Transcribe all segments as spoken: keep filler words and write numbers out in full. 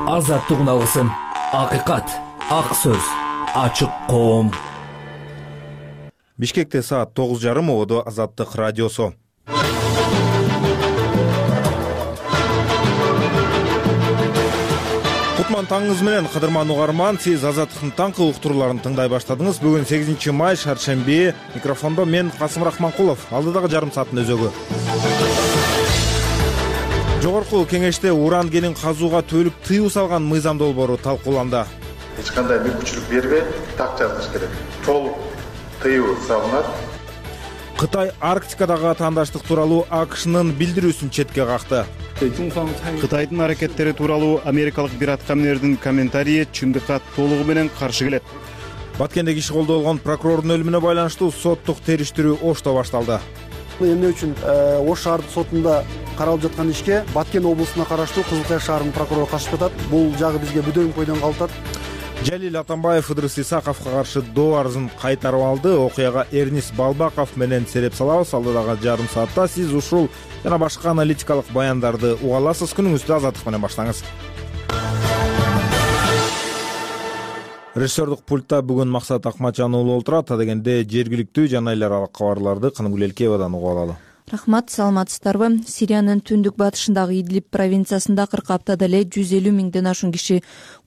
Азаттык алгысын, акыйкат, ак сөз, ачык коом. Бишкекте саат тогуз жарым ободо Азаттык радиосу. Кутман таңыңыз менен, кадырман угарман, сиз Азаттыктын таңкы уктурууларын тыңдай баштадыңыз. Бүгүн сегизинчи май, шаршемби. Микрофондо мен Касым Рахманкулов. Алдыдагы жарым сааттын өзөгү. Жогорку кеңеште уран кенин казууга төлүп тыюу салган мыйзам долбоору талкууланды. Эч кандай мүмкүнчүлүк бербей, так жазыш керек. Толук тыюу салынат. Кытай Арктикадагы атаандаштык тууралуу АКШнын билдирүүсүн четке какты. Кытайдын аракеттери тууралуу америкалык бир аткаминердин комментарийи чындыкка толугу менен каршы келет. Баткенде киши колдо болгон прокурордун өлүмүнө байланыштуу соттук териштирүү Ошто башталды. Эмне үчүн Ош шаардык сотунда каралып жаткан ишке Баткен облусуна караштуу Кызыл Кая шаарынын прокурору катышып атат. Бул жагы бизге бүдөң койдон калып атат. Жалил Атамбаев Ыдырыс Исаковго каршы доо арызын кайтарып алды. Окуяга Эрнис Балбаков менен сереп салабыз. Алдыдагы жарым саатта сиз ушул жана башка аналитикалык баяндарды уга аласыз. Күнүңүздү Азаттык менен баштаңыз. Режиссердук пультта бүгүн Максат Акматжан уулу олтурат. Дегенде жергиликтүү жана эл аралык кабарларды Кынымгүл Элкеевадан угуп алалы. Рахмат, саламатсыздарбы? Сириянын түндүк батышындагы Идлиб провинциясында кырк аптада эле жүз элүү миңден ашуун киши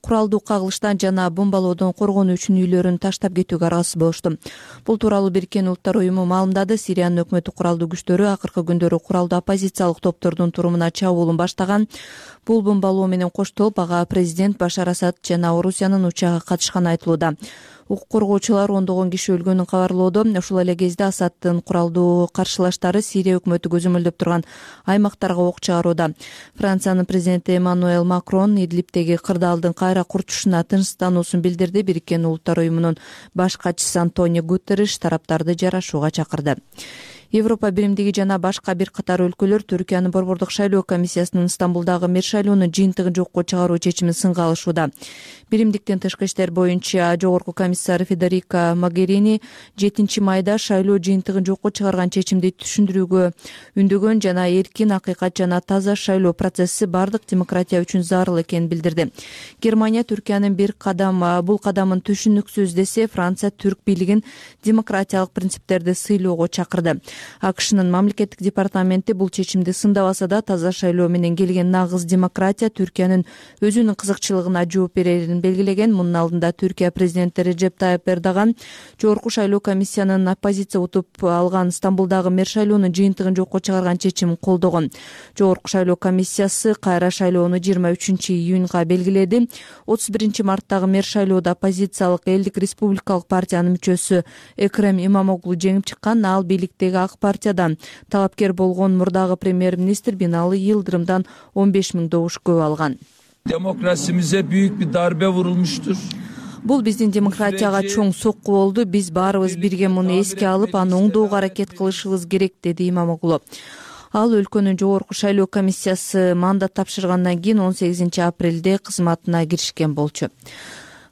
куралдуу кагылыштан жана бомбалоодон коргонуу үчүн үйлөрүн таштап кетүүгө аргасыз болушту. Бул тууралуу Бириккен Улуттар уюму маалымдады. Сириянын өкмөттүк куралдуу күчтөрү акыркы күндөрү куралдуу оппозициялык топтордун турумуна чабуулун баштаган. Бул бомбалоо менен коштолуп, ага президент Башар Асад жана Орусиянын учагы катышканы айтылууда. Укук коргоочулар ондогон киши өлгөнүн кабарлоодо. Ушул эле кезде Асадтын куралдуу каршылаштары Сирия өкмөтү көзөмөлдөп турган аймактарга ок чыгарууда. Франциянын президенти Эммануэль Макрон Идлибтеги кырдаалдын кайра курчушуна тынчсыздануусун билдирди. Бириккен Улуттар уюмунун баш катчысы Антонио Гутерриш тараптарды жарашууга чакырды. Европа биримдиги жана башка бир катар өлкөлөр Түркиянын борбордук шайлоо комиссиясынын Стамбулдагы мэр шайлоонун жыйынтыгын жокко чыгаруу чечимин сынга алышууда. Биримдиктин тышкы иштер боюнча жогорку комиссары Федерика Могерини жетинчи майда шайлоо жыйынтыгын жокко чыгарган чечимди түшүндүрүүгө үндөгөн жана эркин, акыйкат жана таза шайлоо процесси бардык демократия үчүн зарыл экенин билдирди. Германия Түркиянын бир кадам бул кадамын түшүнүксүз десе, Франция түрк бийлигин демократиялык принциптерди сыйлоого чакырды. АКШнын мамлекеттик департаменти бул чечимди сындабаса да, таза шайлоо менен келген нагыз демократия Түркиянын өзүнүн кызыкчылыгына жооп берерин белгилеген. Мунун алдында Түркия президенти Реджеп Тайып Эрдоган жогорку шайлоо комиссиянын оппозиция утуп алган Стамбулдагы мэр шайлоонун жыйынтыгын жокко чыгарган чечимин колдогон. Жогорку шайлоо комиссиясы кайра шайлоону жыйырма үчүнчү июнга белгиледи. отуз биринчи марттагы мэр шайлоодо оппозициялык Элдик республикалык партиянын мүчөсү Экрем Имамоглу жеңип чыккан. Ал бийликтеги Ак партиядан талапкер болгон мурдагы премьер-министр Бинали Йылдырымдан он беш миң добуш көп алган. Demokrasimize büyük bir darbe vurulmuştur. Бул биздин демократияга чоң сокку болду. Биз баарыбыз бирге муну эске алып, аны оңдоого аракет кылышыбыз керек, деди Имамоглу. Ал өлкөнүн жогорку шайлоо комиссиясы мандат тапшыргандан кийин он сегизинчи апрелде кызматына киришкен болчу.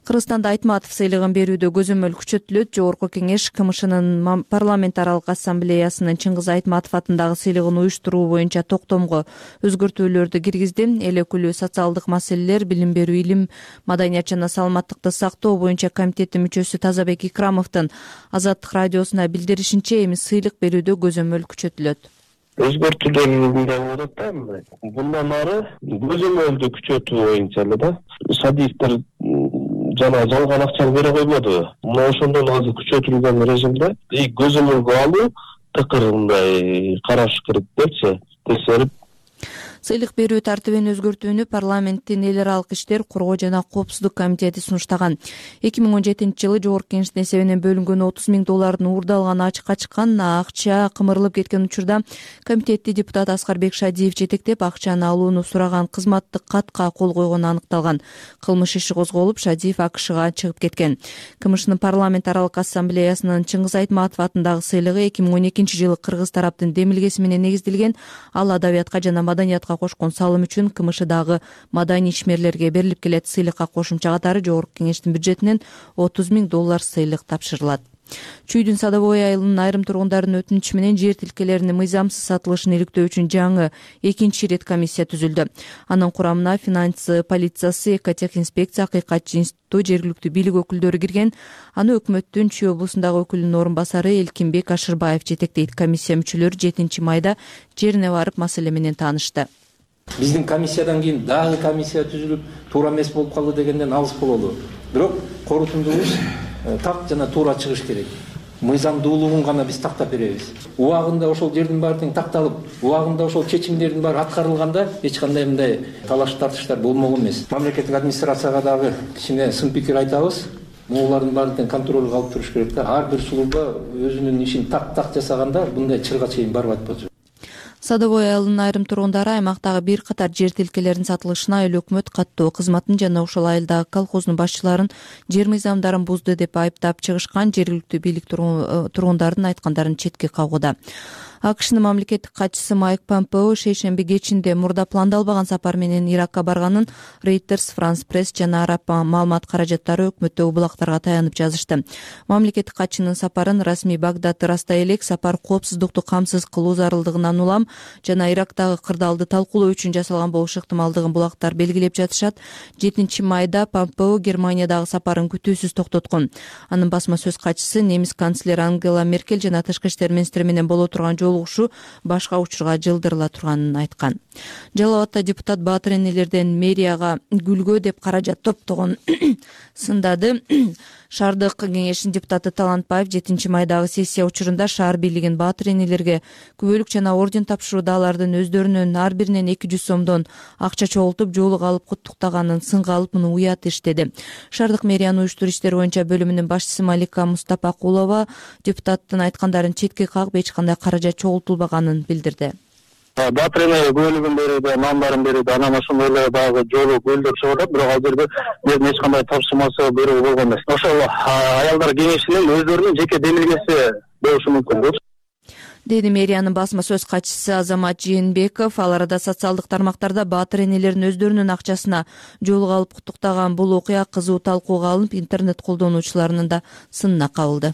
Кыргызстанда Айтматов сыйлыгын берүүдө көзөмөл күчөтүлөт. Жогорку кеңеш КМШнын парламент аралык ассамблеясынын Чыңгыз Айтматов атындагы сыйлыгын уюштуруу боюнча токтомго өзгөртүүлөрдү киргизди. Эл өкүлү социалдык маселелер, билим берүү, илим, маданият жана саламаттыкты сактоо боюнча комитеттин мүчөсү Тазабек Икрамовдун Азаттык радиосуна билдиришинче, эми сыйлык берүүдө көзөмөл күчөтүлөт. Өзгөртүүлөр болот да. Bundan ары көзөмөлдү күчөтүү боюнча эле да. Садиктер жана жалган акчаны бере койбоду. Мына ошондон азыр күчөтүлгөн режимде и көзөмөлгө алуу тыкырындай караш керек депчи, текшерип. Сыйлык берүү тартибин өзгөртүүнү парламенттин эл аралык иштер, коргоо жана коопсуздук комитети сунуштаган. эки миң он жетинчи жылы жогорку кеңештин эсебинен бөлүнгөн отуз миң доллардын уурдалганы ачыкка чыккан. Акча кымырылып кеткен учурда комитетти депутат Аскарбек Шадиев жетектеп, акчаны алууну сураган кызматтык катка кол койгону аныкталган. Кылмыш иши козголуп, Шадиев АКШга чыгып кеткен. КМШнын парламент аралык ассамблеясынын Чыңгыз Айтматов атындагы сыйлыгы эки миң он экинчи жылы кыргыз тараптын демилгеси менен негизделген. Ал адабиятка жана маданиятка кошкон салым үчүн КМШдагы маданий ишмерлерге берилип келет. Сыйлыкка кошумча катары жогорку кеңештин бюджетинен отуз миң доллар сыйлык тапшырылат. Чүйдүн Садовой айылынын айрым тургундарынын өтүнүчү менен жер тилкелеринин мыйзамсыз сатылышын иликтөө үчүн жаңы экинчи ирет комиссия түзүлдү. Анын курамына финансы полициясы, экотехинспекция, акыйкатчы институту, жергиликтүү бийлик өкүлдөрү кирген. Аны өкмөттүн Чүй облусундагы өкүлүнүн орун басары Элкинбек Ашырбаев жетектейт. Комиссия мүчөлөрү жетинчи майда жерине барып маселе менен таанышты. Биздин комиссиядан кийин дагы комиссия түзүлүп, туура эмес болуп калды дегенден алыс бололу. Бирок корутундубуз так жана туура чыгыш керек. Мыйзамдуулугун гана биз тактап беребиз. Убагында ошол жердин баары тең такталып, убагында ошол чечимдердин баары аткарылганда эч кандай мындай талаш тартыштар болгон эмес. Мамлекеттик администрацияга дагы кичине сын пикир айтабыз. Могулардын баарын тең контролго алып туруш керек да. Ар бир служба өзүнүн ишин так-так жасаганда мындай чырга чейин барбайт болчу. Садовой айылынын айрым тургундары аймактагы бир катар жер тилкелеринин сатылышына эл өкмөт каттоо кызматын жана ошол айылдагы колхоздун башчыларын жер мыйзамдарын бузду деп айыптап чыгышкан. Жергиликтүү бийлик тургундардын айткандарын четке кагууда. АКШнын мамлекеттик катчысы Майк Помпео шейшемби кечинде мурда пландалбаган сапар менен Иракка барганын Reuters, France Press жана Араб маалымат каражаттары өкмөттөгү булактарга таянып жазышты. Мамлекеттик катчынын сапарын расмий Багдад ырастай элек сапар коопсуздукту камсыз кылуу зарылдыгынан улам жана Ирактагы кырдаалды талкуулоо үчүн жасалган болушу ыктымалдыгын булактар белгилеп жатышат. жетинчи майда Помпео Германиядагы сапарын күтүүсүз токтоткон. Анын басма сөз катчысы немис канцлери Ангела Меркель жана тышкы иштер министри менен боло турган жолугушуу башка учурга жылдырыла турганын айткан. Жалал Абадта депутат Баатыр энелерден мэрияга гүлгө деп каражат топтогон сындады. Шаардык кеңештин депутаты Талантбаев жетинчи майдагы сессия учурунда шаар бийлигин Баатыр энелерге күбөлүк жана орден тапшырууда алардын өздөрүнүн ар биринен эки жүз сомдон акча чогултуп жоолук алып куттуктаганын сынга алып муну уят иш деди. Шаардык мэриянын уюштуруш иштери боюнча бөлүмүнүн башчысы Малика Мустапакулова депутаттын айткандарын четке кагып эч кандай каражат чогултулбаганын билдирди. Баатыр эне бөлүгүн берүүдө, нандарын берүүдө анан ошондой эле дагы жолу гүлдөр чыгып атат, бирок ал жерде биздин эч кандай тапшырмасы берүү болгон эмес. Ошол аялдар кеңешинин өздөрүнүн жеке демилгеси болушу мүмкүн деди мэриянын басма сөз катчысы Азамат Жээнбеков. Ал арада социалдык тармактарда Баатыр энелерин өздөрүнүн акчасына жоолук алып куттуктаган бул окуя кызуу талкууга алынып, интернет колдонуучуларынын да сынына кабылды.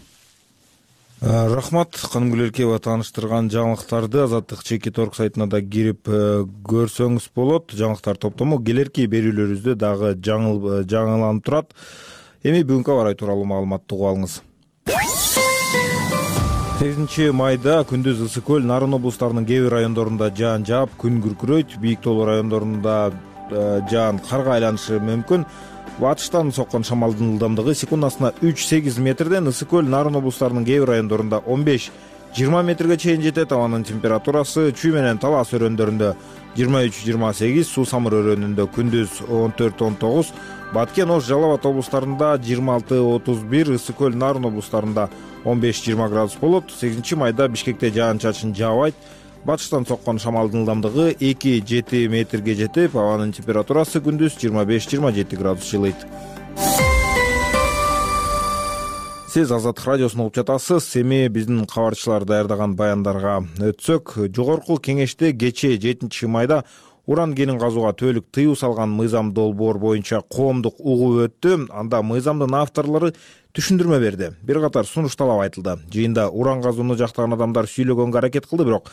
Рахмат, Канымгүл Эркебова тааныштырган жаңылыктарды Азаттык чеки торг сайтына да кирип көрсөңүз болот. Жаңылыктар топтому келерки берүүлөрүбүздө дагы жаңыл жаңыланып турат. Эми бүгүнкү аба ырайы тууралуу маалыматты угуп алыңыз. сегизинчи майда күндүз Ысык көл, Нарын облустарынын кээ бир райондорунда жаан жаап, күн күркүрөйт. Бийик тоолуу райондорунда жаан карга айланышы мүмкүн. Батыштан соккон шамалдын ылдамдыгы секундасына үч сегиз метрден Ысык көл, Нарын облустарынын кээ бир райондорунда он беш жыйырма метрге чейин жетет. Абанын температурасы Чүй менен Талас өрөндөрүндө жыйырма үч жыйырма сегиз, Суу Самыр өрөөнүндө күндүз он төрт он тогуз, Баткен, Ош, Жалал Абад облустарында жыйырма алты отуз бир, Ысык көл, Нарын облустарында он беш жыйырма градус болот. сегизинчи майда Бишкекте жаан-чачын жаабайт. Батыштан соккон шамалдын ылдамдыгы эки жети метрге жетип, абанын температурасы күндүз жыйырма беш жыйырма жети градус жылыйт. Сиз Азаттык радиосун угуп жатасыз. Эми биздин кабарчылар даярдаган баяндарга өтсөк, жогорку кеңеште кечээ жетинчи майда уран кенин казууга түбөлүк тыюу салган мыйзам долбоор боюнча коомдук угуу өттү. Анда мыйзамдын авторлору түшүндүрмө берди. Бир катар сунуш талап айтылды. Жыйында уран казууну жактаган адамдар сүйлөгөнгө аракет кылды, бирок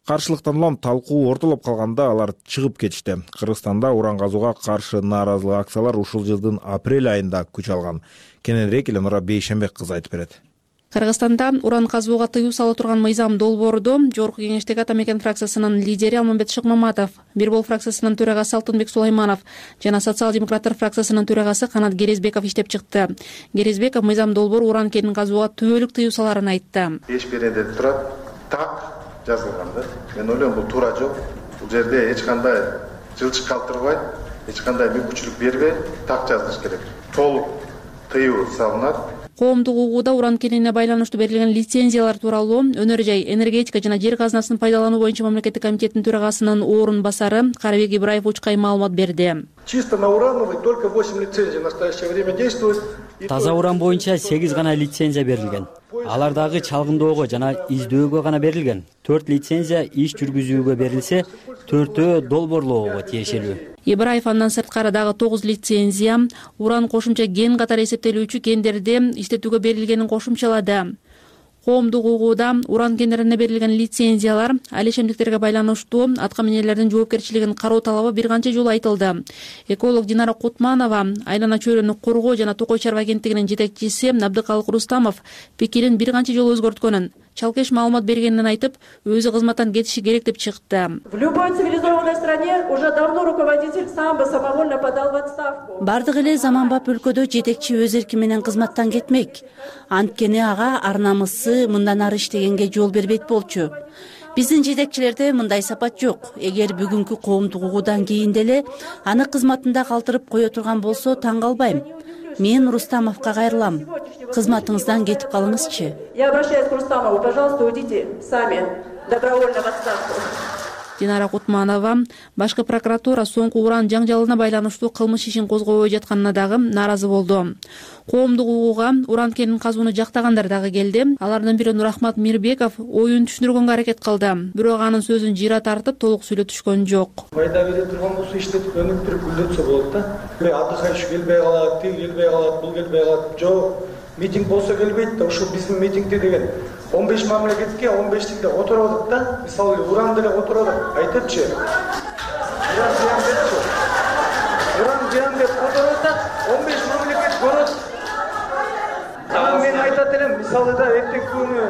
каршылыктан улам талкуу ортолоп калганда алар чыгып кетишти. Кыргызстанда уран казууга каршы нааразылык акциялар ушул жылдын апрель айында күч алган. Кененирээк Эленора Бейшембек кызы айтып берет. Кыргызстанда уран казууга тыюу сала турган мыйзам долбоорду жогорку кеңештеги Ата Мекен фракциясынын лидери Алмамбет Шыкмаматов, Бир Бол фракциясынын төрагасы Алтынбек Сулайманов жана Социал-демократтар фракциясынын төрагасы Канат Керезбеков иштеп чыкты. Керезбеков мыйзам долбоор уран кенин казууга түбөлүк тыюу саларын айтты. Эч биринде турат так жазылган да. Мен ойлойм бул туура жол. Бул жерде эч кандай жылчык калтырбай, эч кандай мүмкүнчүлүк бербей так жазылыш керек. Толук тыюу салынат. Коомдук угууда уран кенине байланыштуу берилген лицензиялар тууралуу Өнөр жай, энергетика жана жер казынасын пайдалануу боюнча мамлекеттик комитеттин төрагасынын орун басары Карабек Ибраев Учкай маалымат берди. Чисто на урановый только восемь лицензий в настоящее время действует. Таза уран боюнча сегиз гана лицензия берилген. Алар дагы чалгындоого жана издөөгө гана берилген. төрт лицензия иш жүргүзүүгө берилсе, төртөө долбоорлоого тиешелүү. Ибраев андан сырткары дагы тогуз лицензия уран кошумча кен катары эсептелүүчү кендерди иштетүүгө берилгенин кошумчалады. Коомдук угууда уран кендерине берилген лицензиялар алишемдиктерге байланыштуу атка минерлердин жоопкерчилигин кароо талабы бир канча жолу айтылды. Эколог Динара Кутманова, Айлана чөйрөнү коргоо жана Токой чарба агенттигинин жетекчиси Абдыкалык Рустамов пикирин бир канча жолу өзгөрткөнүн, чалкеш маалымат бергенин айтып, өзү кызматтан кетиши керек деп чыкты. В любой цивилизованной стране уже давно руководитель сам бы самовольно подал в отставку. Бардык эле заманбап өлкөдө жетекчи өз эрки менен кызматтан кетмек. Анткени ага ар намысы мындан ары иштегенге жол бербейт болчу. Биздин жетекчилерде мындай сапат жок. Эгер бүгүнкү коомдук угуудан кийин деле аны кызматында калтырып кое турган болсо таң калбайм. Мен Рустамовго кайрылам. Кызматыңыздан кетип калыңызчы. Я обращаюсь к Рустамову, пожалуйста, уйдите сами добровольно в отставку. Динара Кутманова башкы прокуратура соңку уран жаңжалына байланыштуу кылмыш ишин козгобой жатканына дагы нааразы болду. Коомдук угууга уран кенин казууну жактагандар дагы келди. Алардын бири Нурахмат Мирбеков оюн түшүндүргөнгө аракет кылды. Бирок анын сөзүн жыйра тартып толук сүйлөтүшкөн жок. Пайда бере турган болсо иштетип өнүктүрүп гүлдөтсө болот да. Аддыхайш келбей калат, тил келбей калат, бул келбей калат. Жок, митинг болсо келбейт да. Ушул биздин митингде деген он беш мамлекетке он беш тилде отурабык да. Мисалы уран деле отурабык. Айтыпчы. Уран зыян депчи. Уран зыян деп отурат да он беш мамлекет көрөт. Мен айтат элем, мисалы да эртең күнү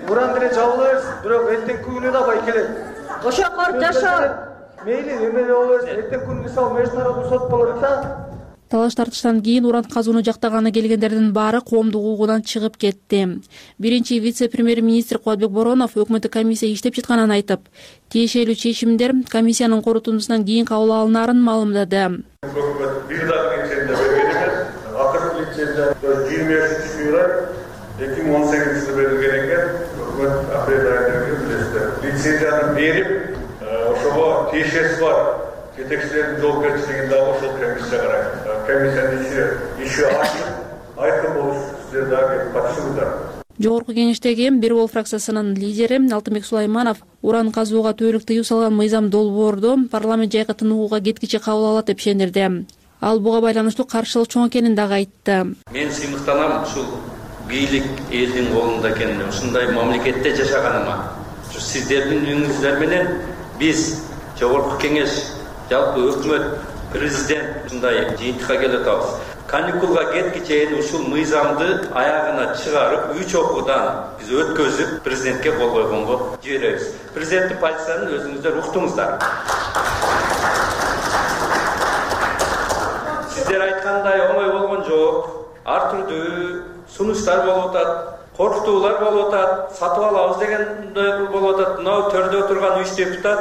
уран деле жабылабыз, бирок эртең күнү да бай келет. Ошокор жашоо. Мейли, эме болобуз. Эртең күнү мисалы международный сот болот да. Талаш тартыштан кийин уран казууну жактаганы келгендердин баары коомдук угуудан чыгып кетти. Биринчи вице-премьер-министр Кубатбек Боронов өкмөттүк комиссия иштеп жатканын айтып, тиешелүү чечимдер комиссиянын корутундусунан кийин кабыл алынаарын маалымдады. Өкмөт бир дагы лицензия берген эмес. Акыркы лицензия жыйырма үчүнчү январь эки миң он сегизинчи жылы берилген экен. Өкмөт апрель айында билесиздер. Лицензияны берип, ошого тиешеси бар жетекчилердин жоопкерчилигин дагы ошол комиссия карайт. Комиссиянын иши иши ачык, айкын болуш сиздер дагы катышыңыздар. Жогорку кеңештеги Бир Бол фракциясынын лидери Алтынбек Сулайманов уран казууга төөлүк тыюу салган мыйзам долбоорду парламент жайкы тыныгууга кеткиче кабыл алат деп ишендирди. Ал буга байланыштуу каршылык чоң экенин дагы айтты. Мен сыймыктанам ушул бийлик элдин колунда экенин, ушундай мамлекетте жашаганыма. Ушу сиздердин үңүңүздөр менен биз жогорку кеңеш, жалпы өкмөт, президент ушундай жыйынтыкка келип атабыз. Каникулга кеткиче ушул мыйзамды аягына чыгарып, үч окуудан биз өткөзүп, президентке кол койгонго жиберебиз. Президенттин позициясын өзүңүздөр уктуңуздар. Сиздер айткандай оңой болгон жок. Ар түрдүү сунуштар болуп атат, коркутуулар болуп атат, сатып алабыз дегендер болуп атат. Мына төрдө отурган үч депутат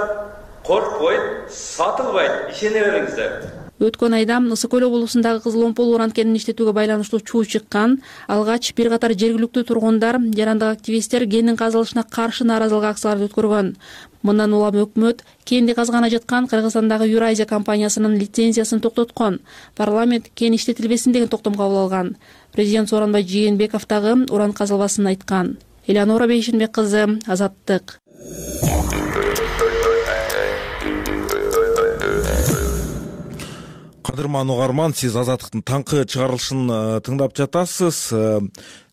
коркпойт, сатылбайт, ишене бериңиздер. Өткөн айда Ысык Көл облусундагы Кызыл Омпол уран кенин иштетүүгө байланыштуу чуу чыккан. Алгач бир катар жергиликтүү тургундар, жарандык активисттер кендин казылышына каршы нааразылык акцияларды өткөргөн. Мындан улам өкмөт кенди казгана жаткан Кыргызстандагы Юрайзия компаниясынын лицензиясын токтоткон. Парламент кен иштетилбесин деген токтом кабыл алган. Президент Сооронбай Жээнбеков дагы уран казылбасын айткан. Элеонора Бейшенбек кызы, Азаттык. Кадырман угарман, сиз Азаттыктын таңкы чыгарылышын тыңдап жатасыз.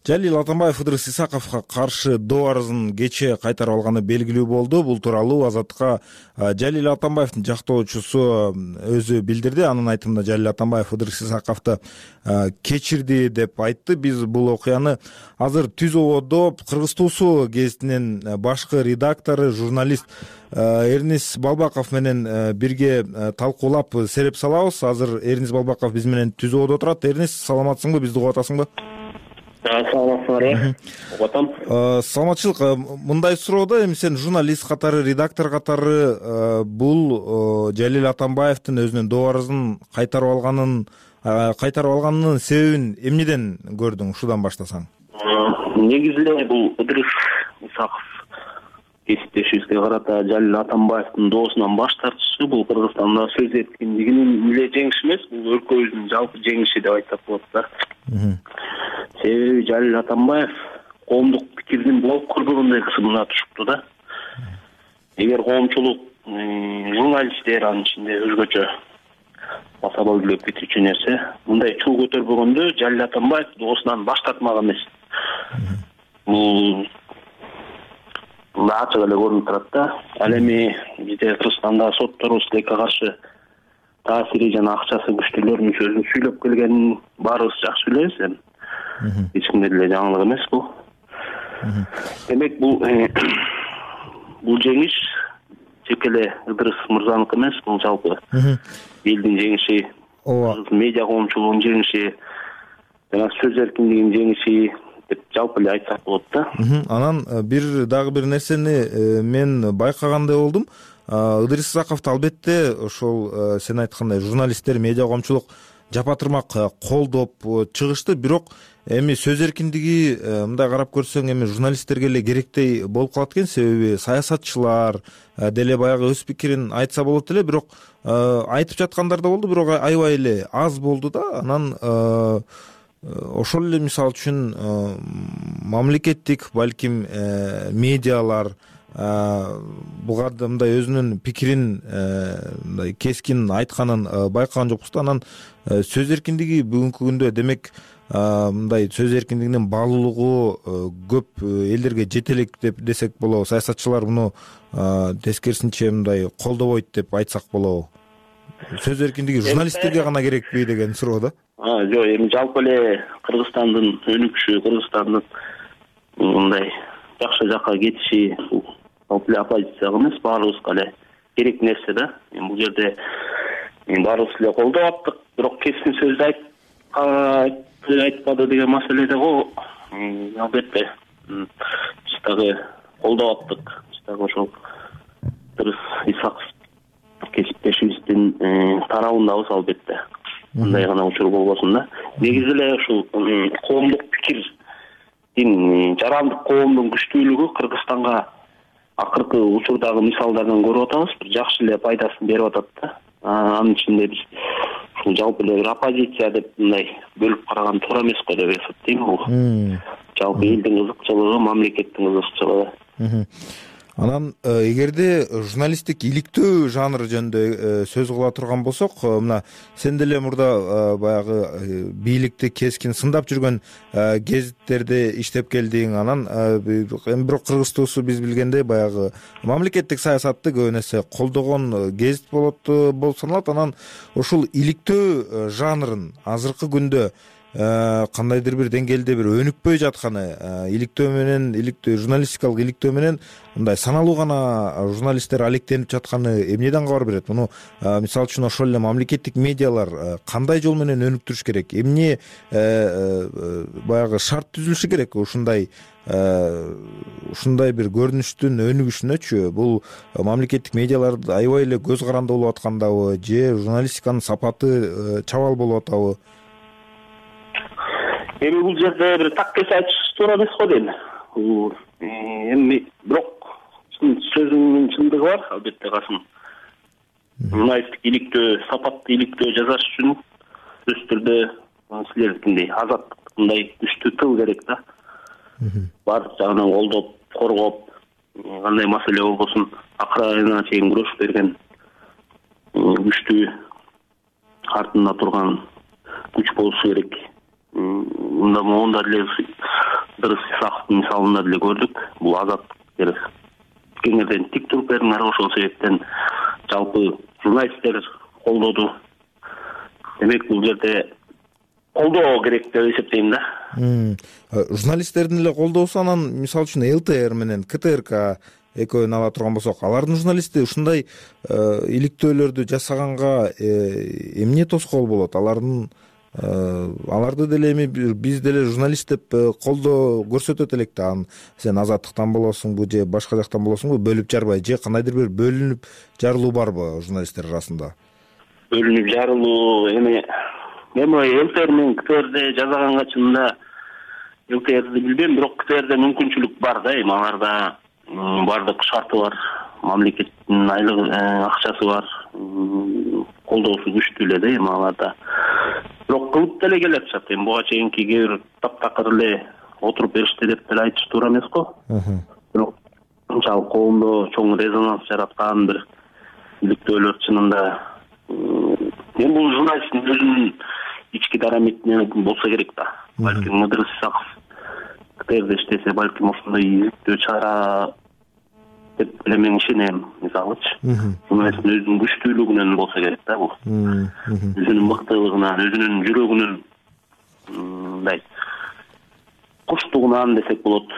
Жалил Атамбаев Ыдырыс Исаковго каршы доо арызын кече кайтарып алганы белгилүү болду. Бул тууралуу Азаттыкка Жалил Атамбаевдин жактоочусу өзү билдирди. Анын айтымында Жалил Атамбаев Ыдырыс Исаковду кечирди деп айтты. Биз бул окуяны азыр Түз ободо Кыргыз туусу гезитинин башкы редактору, журналист Эрнис Балбаков менен бирге талкуулап сереп салабыз. Азыр Эрнис Балбаков биз менен Түз ободо отурат. Эрнис, саламатсыңбы? Бизди угуп атасыңбы? Саламатсыңарбы? Угатам. Саламатчылык. Мындай суроо эми сен журналист катары, редактор катары бул Жалил Атамбаевдин өзүнүн доо арызын кайтарып алганын кайтарып алганынын себебин эмнеден көрдүң? Ушудан баштасаң. Негизи эле бул Ыдырыс Исаков кесиптешибизге карата Жалил Атамбаевдин доосунан баш тартышы бул Кыргызстанда сөз эркиндигинин эле жеңиши эмес, бул өлкөбүздүн жалпы жеңиши деп айтсак болот да. Себеби Жалил Атамбаев коомдук пикирдин болуп кырдыгындай кысымына түшүптү да. Эгер коомчулук журналисттер анын ичинде өзгөчө баса бойлоп кетүүчү нерсе. Мындай чуу көтөрбөгөндө Жалил Атамбаев доосунан баш тартмак эмес. Бул ачык эле көрүнүп турат да. Ал эми бизде Кыргызстанда сотторубуз тилекке каршы таасири жана акчасы күчтүүлөрдүн сөзүн сүйлөп келгенин баарыбыз жакшы билебиз. Эми эч кимге деле жаңылык эмес бул. Демек бул бул жеңиш тек эле Ыдырыс мырзаныкы эмес, бул жалпы элдин жеңиши, медиа коомчулугунун жеңиши, жана сөз эркиндигинин жеңиши деп жалпы эле айтсак болот да. Анан бир дагы бир нерсени мен байкагандай болдум. Ыдырыс Исаковду албетте ошол сен айткандай журналисттер, медиа коомчулук жапа-тырмак колдоп чыгышты, бирок эми сөз эркиндиги мындай карап көрсөң эми журналисттерге эле керектей болуп калат экен, себеби саясатчылар деле баягы өз пикирин айтса болот эле, бирок айтып жаткандар да болду, бирок аябай эле аз болду да. Анан ошол эле мисалы үчүн мамлекеттик балким медиалар буга мындай өзүнүн пикирин мындай кескин айтканын байкаган жокпуз да. Анан сөз эркиндиги бүгүнкү күндө демек мындай сөз эркиндигинин баалуулугу көп элдерге жете элек деп десек болобу. Саясатчылар муну тескерисинче мындай колдобойт деп айтсак болобу. Сөз эркиндиги журналисттерге гана керекпи деген суроо да. Жок, эми жалпы эле Кыргызстандын өнүкүшү, Кыргызстандын мындай жакшы жакка кетиши бул жалпы эле оппозицияга эмес, баарыбызга эле керек нерсе да. Эми бул жерде баарыбыз эле колдоп аттык, бирок кескин сөздү айтты, айтпады деген маселе да го. Албетте биз дагы колдоп аттык. Биз дагы ошол Ыдырыс Исаков кесиптешибиздин тарабындабыз албетте. Мындай гана учур болбосун да. Негизи эле ушул коомдук пикирдин, жарандык коомдун күчтүүлүгү Кыргызстанга акыркы учурдагы мисалдардан көрүп атабыз, бир жакшы эле пайдасын берип атат да. Анын ичинде биз ушул жалпы эле бир оппозиция деп мындай бөлүп караган туура эмес го деп эсептейм. Бул жалпы элдин кызыкчылыгы, мамлекеттин кызыкчылыгы. Анан эгерде журналисттик иликтөө жанры жөнүндө сөз кыла турган болсок, мына сен деле мурда баягы бийликти кескин сындап жүргөн гезиттерде иштеп келдиң. Анан эми бирок Кыргыз туусу биз билгендей баягы мамлекеттик саясатты көбүн эсе колдогон гезит болот болуп саналат. Анан ушул иликтөө жанрын азыркы күндө кандайдыр бир деңгээлде бир өнүкпөй жатканы, иликтөө менен, иликтөө журналистикалык иликтөө менен мындай саналуу гана журналисттер алектенип жатканы эмнеден кабар берет? Муну мисалы үчүн ошол эле мамлекеттик медиалар кандай жол менен өнүктүрүш керек? Эмне баягы шарт түзүлүшү керек ушундай ушундай бир көрүнүштүн өнүгүшүнөчү? Бул мамлекеттик медиалар аябай эле көз каранды болуп аткандабы же журналистиканын сапаты чабал болуп атабы? Эми бул жерде бир так кесе айтыш туура эмес го дейм. Эми бирок сөзүнүн чындыгы бар, албетте Касым. Журналисттик иликтөө, сапаттуу иликтөө жасаш үчүн өз түрдө силердикиндей азаттык мындай күчтүү тыл керек да. Баардык жагынан колдоп, коргоп, кандай маселе болбосун акыр айына чейин күрөшүп берген күчтүү артында турган күч болушу керек. Мында моунда деле Ыдырыс Исаковдун мисалында деле көрдүк. Бул азаттык керек. Кеңерден тик туруп бериңер, ошол себептен жалпы журналисттер колдоду. Демек бул жерде колдоо керек деп эсептейм да. Журналисттердин эле колдоосу, анан мисалы үчүн эл тэ эр менен ка тэ эр ка экөөнү ала турган болсок, алардын журналисти ушундай иликтөөлөрдү жасаганга эмне тоскоол болот? Алардын аларды деле эми биз деле журналист деп колдоо көрсөтөт элек да. Сен азаттыктан болосуңбу же башка жактан болосуңбу, бөлүп жарбай же кандайдыр бир бөлүнүп жарылуу барбы журналисттер арасында? Бөлүнүп жарылуу эми эми эл тэ эр менен ка тэ эрде жасаганга чынында эл тэ эрди билбейм, бирок ка тэ эрде мүмкүнчүлүк бар да. Эми аларда баардык шарты бар, мамлекеттин айлык акчасы бар, колдоосу күчтүү эле да эми аларда. Бирок кылып деле келе атышат. Эми буга чейинки кээ бир таптакыр эле отуруп беришти деп деле айтыш туура эмес го. Бирок анчалык коомдо чоң резонанс жараткан бир иликтөөлөр чынында эми бул журналисттин өзүнүн ички дарамитинен болсо керек да. Балким Ыдырыс Исаков Кытайда иштесе, балким ошондой иликтөө чара деп эле мен ишенем. Мисалычы, журналисттин өзүнүн күчтүүлүгүнөн болсо керек да бул. Өзүнүн мыктылыгынан, өзүнүн жүрөгүнүн мындай куштугунан десек болот.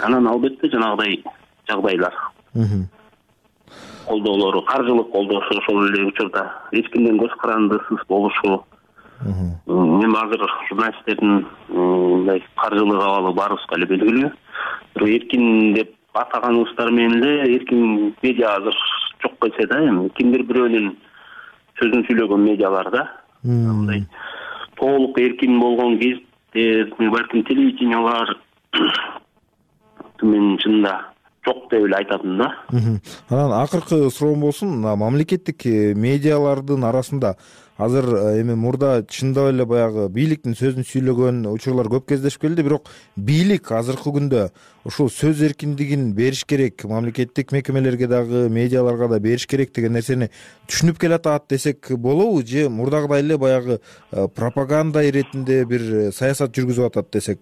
Анан албетте жанагыдай жагдайлар, колдоолору, каржылык колдошу ошол эле учурда эч кимден көз карандысыз болушу. Эми азыр журналисттердин мындай каржылык абалы баарыбызга эле белгилүү. Бирок эркин деп атаганыбыздар менен эле эркин медиа азыр жок келсе да, эми кимдир бирөөнүн сөзүн сүйлөгөн медиалар да. Мындай толук эркин болгон кездер, балким телевидениялар мен чынында жок деп эле айтатым да. Анан акыркы суроом болсун, мамлекеттик медиалардын арасында азыр эми мурда чындап эле баягы бийликтин сөзүн сүйлөгөн учурлар көп кездешип келди, бирок бийлик азыркы күндө ушул сөз эркиндигин бериш керек, мамлекеттик мекемелерге дагы, медиаларга да бериш керек деген нерсени түшүнүп келатат десек болобу, же мурдагыдай эле баягы пропаганда иретинде бир саясат жүргүзүп атат десек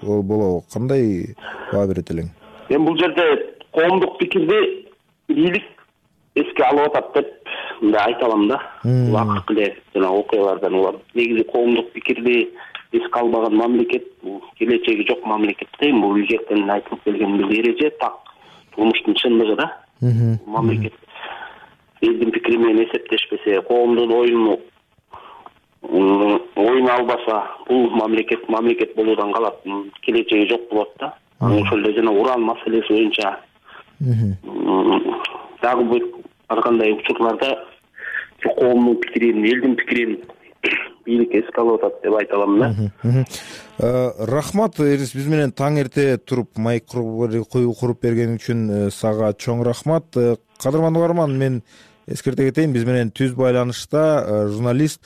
болобу? Кандай баа берет элең? Эми бул жерде коомдук пикирди бийлик эске алып атат деп мындай айта алам да. Бул акыркы эле жана окуялардан улам. Негизи коомдук пикирди эске албаган мамлекет бул келечеги жок мамлекет дейм. Бул илгертен айтылып келген бир эреже, так турмуштун чындыгы да. Мамлекет элдин пикири менен эсептешпесе, коомдун оюну оюн албаса, бул мамлекет мамлекет болуудан калат, келечеги жок болот да. Ошол эле жана уран маселеси боюнча дагы бир ар кандай учурларда коомдун пикирин, элдин пикирин бийлик эске алып атат деп айта алам да. Рахмат, Эрис, биз менен таң эрте туруп майк куруп берген үчүн сага чоң рахмат. Кадырман угарман, мен эскерте кетейин, биз менен түз байланышта журналист,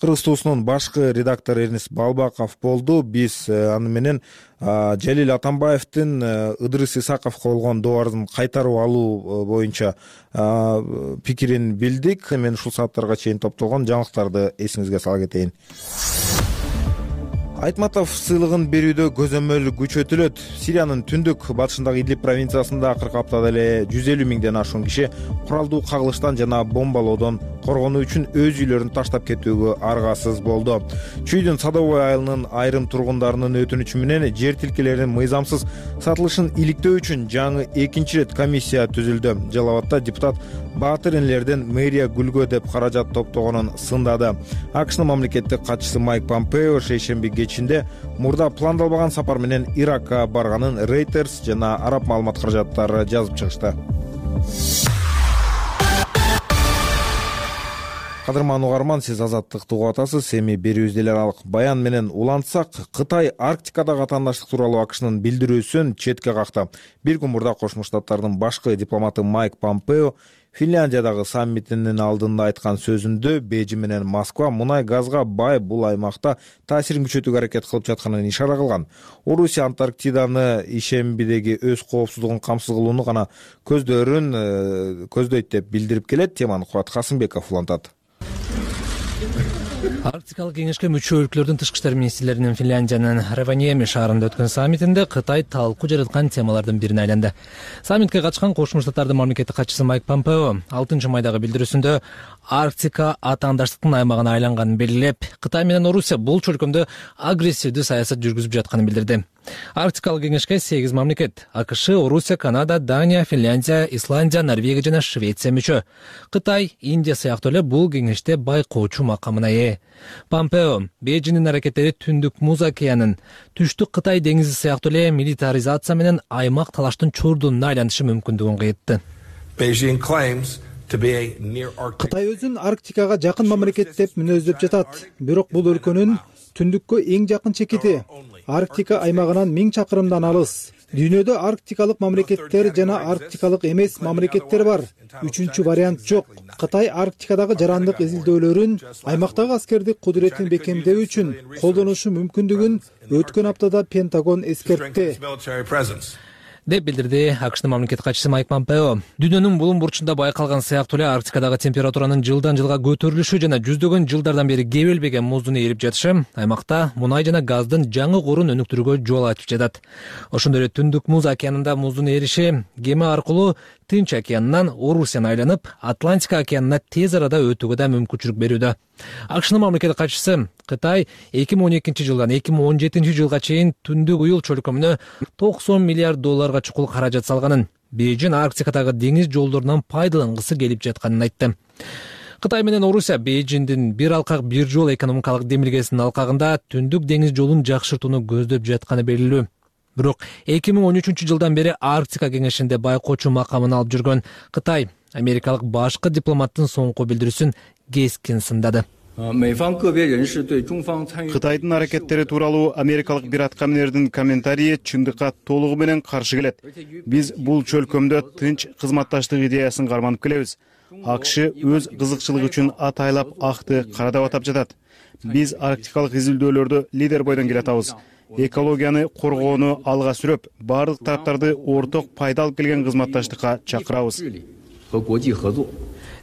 Кыргыз туусунун башкы редактору Эрнис Балбаков болду. Биз аны менен Жалил Атамбаевдин Ыдырыс Исаковго болгон доо арызын кайтарып алуу боюнча пикирин билдик. Мен ушул сааттарга чейин топтолгон жаңылыктарды эсиңизге сала кетейин. Айтматов сыйлыгын берүүдө көзөмөл күчөтүлөт. Сириянын түндүк батышындагы Идлиб провинциясында акыркы аптада эле жүз элүү миңден ашуун киши куралдуу кагылыштан жана бомбалоодон коргонуу үчүн өз үйлөрүн таштап кетүүгө аргасыз болду. Чүйдүн Садовой айылынын айрым тургундарынын өтүнүчү менен жер тилкелеринин мыйзамсыз сатылышын иликтөө үчүн жаңы экинчи ирет комиссия түзүлдү. Жалал Абадта депутат Баатыр энелерден мэрия гүлгө деп каражат топтогонун сындады. АКШнын мамлекеттик катчысы Майк Помпео шейшемби кечинде мурда пландалбаган сапар менен Иракка барганын Reuters жана араб маалымат каражаттары жазып чыгышты. Кадырман угарман, сиз Азаттыкты угуп атасыз. Эми берүүбүздө эле аралык баян менен улантсак, Кытай Арктикадагы атаандаштык тууралуу АКШнын билдирүүсүн четке какты. Бир күн мурда Кошмо Штаттардын башкы дипломаты Майк Помпео Финляндиядагы саммитинин алдында айткан сөзүндө Бейжин менен Москва мунай газга бай бул аймакта таасирин күчөтүүгө аракет кылып жатканын ишара кылган. Орусия Антарктиданы ишембидеги өз коопсуздугун камсыз кылууну гана көздөрүн көздөйт деп билдирип келет. Теманы Кубат Касымбеков улантат. Арктикалык кеңешке мүчө өлкөлөрдүн тышкы иштер министрлеринин Финляндиянын Раваньеми шаарында өткөн саммитинде Кытай талкуу жараткан темалардын бирине айланды. Саммитке катышкан Кошмо Штаттардын мамлекеттик катчысы Майк Помпео алтынчы майдагы билдирүүсүндө Арктика атаандаштыктын аймагына айланганын белгилеп, Кытай менен Орусия бул чөлкөмдө агрессивдүү саясат жүргүзүп жатканын билдирди. Арктикалык кеңешке сегиз мамлекет — АКШ, Орусия, Канада, Дания, Финляндия, Исландия, Норвегия жана Швеция мүчө. Кытай, Индия сыяктуу эле бул кеңеште байкоочу макамына ээ. Помпео Бейжиңдин аракеттери Түндүк Муз океанын, Түштүк Кытай деңизи сыяктуу эле милитаризация менен аймак талаштын чурдунуна айланышы мүмкүндүгүн кыйтты. Кытай өзүн Арктикага жакын мамлекет деп мүнөздөп жатат, бирок бул өлкөнүн түндүккө эң жакын чекити. Арктика аймагынан миң чакырымдан алыс. Дүйнөдө арктикалык мамлекеттер жана арктикалык эмес мамлекеттер бар. Үчүнчү вариант жок. Кытай Арктикадагы жарандык изилдөөлөрүн, аймактагы аскердик кудуретін бекемдөө үчүн колдонушу мүмкүндүгүн өткөн аптада Пентагон эскертти. деп билдирди АКШнын мамлекеттик катчысы Майк Помпео. Дүйнөнүн булуң бурчунда байкалган сыяктуу эле Арктикадагы температуранын жылдан жылга көтөрүлүшү жана жүздөгөн жылдардан бери кебелбеген муздун эрип жатышы аймакта мунай жана газдын жаңы корун өнүктүрүүгө жол ачып жатат. Ошондой эле Түндүк Муз океанында муздун эриши кеме аркылуу Тынч океанынан Орусияны айланып, Атлантика океанына тез арада өтүүгө да мүмкүнчүлүк берүүдө. АКШнын мамлекеттик катчысы Кытай эки миң он экинчи жылдан эки миң он жетинчи жылга чейин Түндүк Уюл чөлкөмүнө токсон миллиард долларга чукул каражат салганын, Бейжин Арктикадагы деңиз жолдорунан пайдалангысы келип жатканын айтты. Кытай менен Орусия Бейжиңдин бир алкак бир жол экономикалык демилгесинин алкагында Түндүк деңиз жолун жакшыртууну көздөп жатканы белгилүү. Бирок эки миң он үчүнчү жылдан бери Арктика кеңешинде байкоочу макамын алып жүргөн Кытай америкалык башкы дипломаттын соңку билдирүүсүн кескин сындады. Кытайдын аракеттери тууралуу америкалык бир аткаминердин комментарийи чындыкка толугу менен каршы келет. Биз бул чөлкөмдө тынч кызматташтык идеясын карманып келебиз. АКШ өз кызыкчылыгы үчүн атайлап акты карадап атап жатат. Биз арктикалык изилдөөлөрдө лидер бойдон келатабыз. Экологияны коргоону алга сүрөп, бардык тараптарды орток пайда алып келген кызматташтыкка чакырабыз.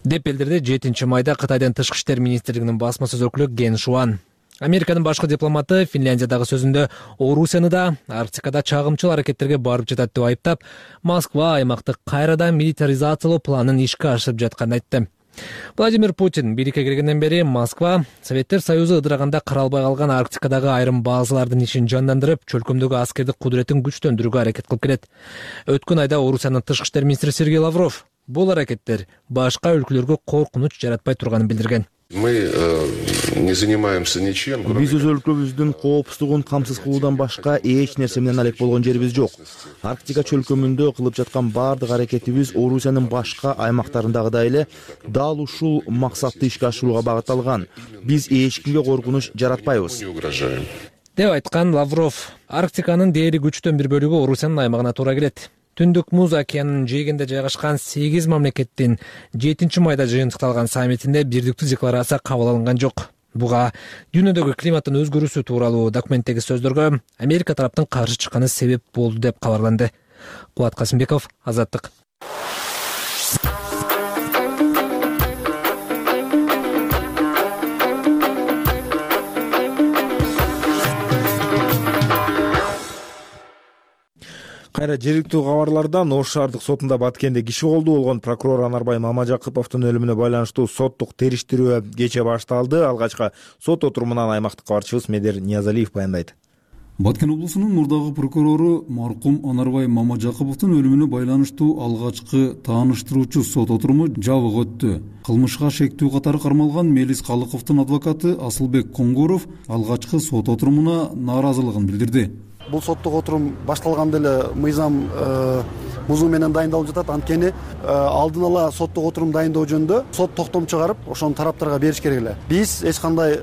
деп билдирди жетинчи майда Кытайдын тышкы иштер министрлигинин басма сөз өкүлү Ген Шуан. Американын башкы дипломаты Финляндиядагы сөзүндө Орусияны да Арктикада чагымчыл аракеттерге барып жатат деп айыптап, Москва аймакты кайрадан милитаризациялоо планын ишке ашырып жатканын айтты. Владимир Путин бийликке киргенден бери Москва Советтер Союзу ыдыраганда каралбай калган Арктикадагы айрым базалардын ишин жандандырып, чөлкөмдөгү аскердик кудуретін күчтөндүрүүгө аракет кылып келет. Өткөн айда Орусиянын тышкы иштер министри Сергей Лавров бул аракеттер башка өлкөлөргө коркунуч жаратпай турганын билдирген. Мы не занимаемся ничем. Биз өз өлкөбүздүн коопсуздугун камсыз кылуудан башка эч нерсе менен алек болгон жерибиз жок. Арктика чөлкөмүндө кылып жаткан бардык аракетибиз Орусиянын башка аймактарындагыдай эле дал ушул максатты ишке ашырууга багытталган. Биз эч кимге коркунуч жаратпайбыз деп айткан Лавров. Арктиканын дээри күчтөн бир бөлүгү Орусиянын аймагына туура келет. Түндүк Муз океанынын жээгинде жайгашкан сегиз мамлекеттин жетинчи майда жыйынтыкталган саммитинде бирдиктүү декларация кабыл алынган жок. Буга дүйнөдөгү климаттын өзгөрүүсү тууралуу документтеги сөздөргө Америка тараптын каршы чыкканы себеп болду деп кабарланды. Кубат Касымбеков, Азаттык. Кайра жергиликтүү кабарлардан Ош шаардык сотунда Баткенде киши колдуу болгон прокурор Анарбай Мамажакыповдун өлүмүнө байланыштуу соттук териштирүү кечээ башталды. Алгачкы сот отурумунан аймактык кабарчыбыз Медер Ниязалиев баяндайт. Баткен облусунун мурдагы прокурору маркум Анарбай Мамажакыповдун өлүмүнө байланыштуу алгачкы тааныштыруучу сот отуруму жабык өттү. Кылмышка шектүү катары кармалган Мелис Калыковдун адвокаты Асылбек Коңгуров алгачкы сот отурумуна нааразылыгын билдирди. Бул соттук отурум башталганда эле мыйзам бузуу менен дайындалып жатат. Анткени алдын ала соттук отурум дайындоо жөнүндө сот токтом чыгарып, ошону тараптарга бериш керек эле. Биз эч кандай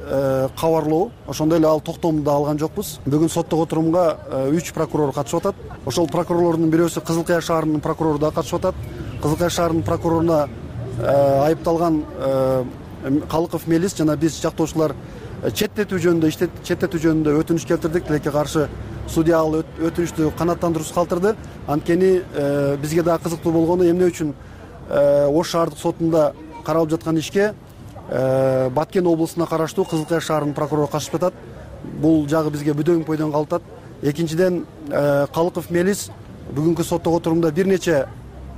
кабарлоо, ошондой эле ал токтомду да алган жокпуз. Бүгүн соттук отурумга үч прокурор катышып атат. Ошол прокурорлордун бирөөсү Кызыл Кыя шаарынын прокурору да катышып атат. Кызыл Кыя шаарынын прокуроруна айыпталган Калыков Мелис жана биз жактоочулар четтетүү жөнүндө иштет четтетүү жөнүндө өтүнүч келтирдик. Тилекке каршы судья ал өтүнүчтү канааттандыруусуз калтырды. Анткени бизге да кызыктуу болгону эмне үчүн Ош шаардык сотунда каралып жаткан ишке Баткен облусуна караштуу Кызыл Кыя шаарынын прокурору катышып жатат. Бул жагы бизге бүдөң бойдон калтат. Экинчиден, Калыков Мелис бүгүнкү соттук отурумда бир нече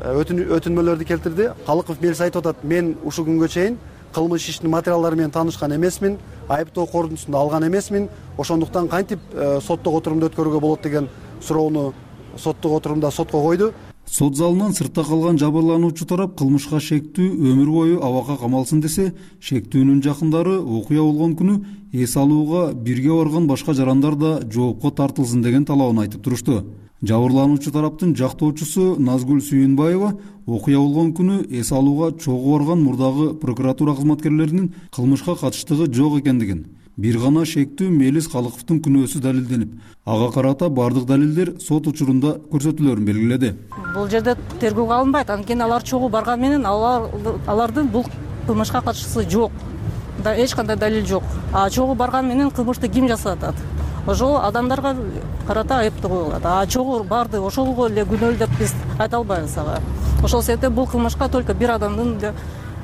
өтүнмөлөрдү келтирди. Калыков Мелис айтып атат: "Мен ушул күнгө чейин кылмыш иштин материалдары менен таанышкан эмесмин, айыптоо корутундусун алган эмесмин. Ошондуктан кантип соттук отурумду өткөрүүгө болот" деген суроону соттук отурумда сотко койду. Сот залынан сыртта калган жабырлануучу тарап кылмышка шектүү өмүр бою абакка камалсын десе, шектүүнүн жакындары окуя болгон күнү эс алууга бирге барган башка жарандар да жоопко тартылсын деген талабын айтып турушту. Жабырлануучу тараптын жактоочусу Назгүл Сүйүнбаева окуя болгон күнү эс алууга чогуу барган мурдагы прокуратура кызматкерлеринин кылмышка катыштыгы жок экендигин, бир гана шектүү Мелис Калыковдун күнөөсү далилденип, ага карата бардык далилдер сот учурунда көрсөтүлөрүн белгиледи. Бул жерде тергөөгө алынбайт, анткени алар чогуу барган менен алардын бул кылмышка катышкысы жок. Эч кандай далил жок. А чогуу барган менен кылмышты ким жасап атат? ошол адамдарга карата айыптуу коюлат. А чогуу барды ошого эле күнөөлүү деп биз айта албайбыз ага. Ошол себептен бул кылмышка только бир адамдын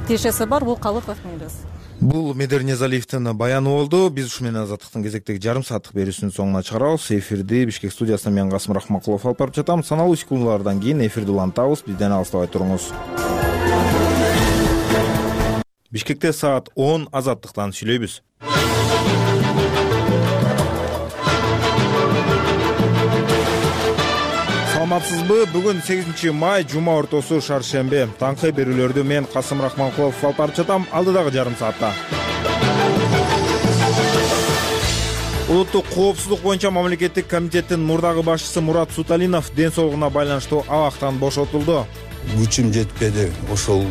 тиешеси бар, бул Калыков мээрес. Бул Медер Незалиевдин баяны болду. Биз ушу менен Азаттыктын кезектеги жарым сааттык берүүсүнүн соңуна чыгарабыз. Эфирди Бишкек студиясынан мен Касым Рахмакулов алып барып жатам. Саналуу секундалардан кийин эфирди улантабыз. Бизден алыстабай туруңуз. Бишкекте саат он. Азаттыктан сүйлөйбүз. Саламатсызбы? Бүгүн сегизинчи май, жума ортосу, шаршембе. Таңкы берүүлөрдү мен Касым Рахманкулов алып барып жатам. Алдыдагы жарым саатта. Улуттук коопсуздук боюнча мамлекеттик комитеттин мурдагы башчысы Мурат Суталинов ден соолугуна байланыштуу абактан бошотулду. Күчүм жетпеди. Ошол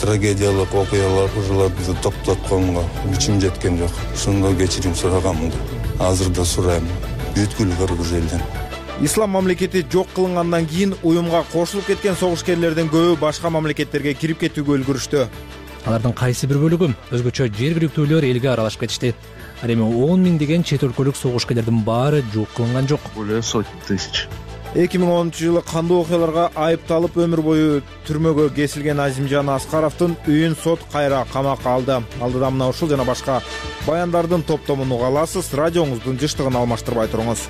трагедиялык окуяларды токтотконго күчүм жеткен жок. Ошондо кечирим сураганмын. Азыр да сурайм. Бүткүл кыргыз элден. Ислам мамлекети жок кылынгандан кийин уюмга кошулуп кеткен согушкерлердин көбү башка мамлекеттерге кирип кетүүгө үлгүрүштү. Алардын кайсы бир бөлүгү өзгөчө жергиликтүүлөр элге аралашып кетишти. Ал эми он миңдеген чет өлкөлүк согушкерлердин баары жок кылынган жок. Более сотни тысяч. эки миң онунчу жылы кандуу окуяларга айыпталып өмүр бою түрмөгө кесилген Азимжан Аскаровдун үйүн сот кайра камакка алды. Алдыда мына ушул жана башка баяндардын топтомун уга аласыз. Радионуздун жыштыгын алмаштырбай туруңуз.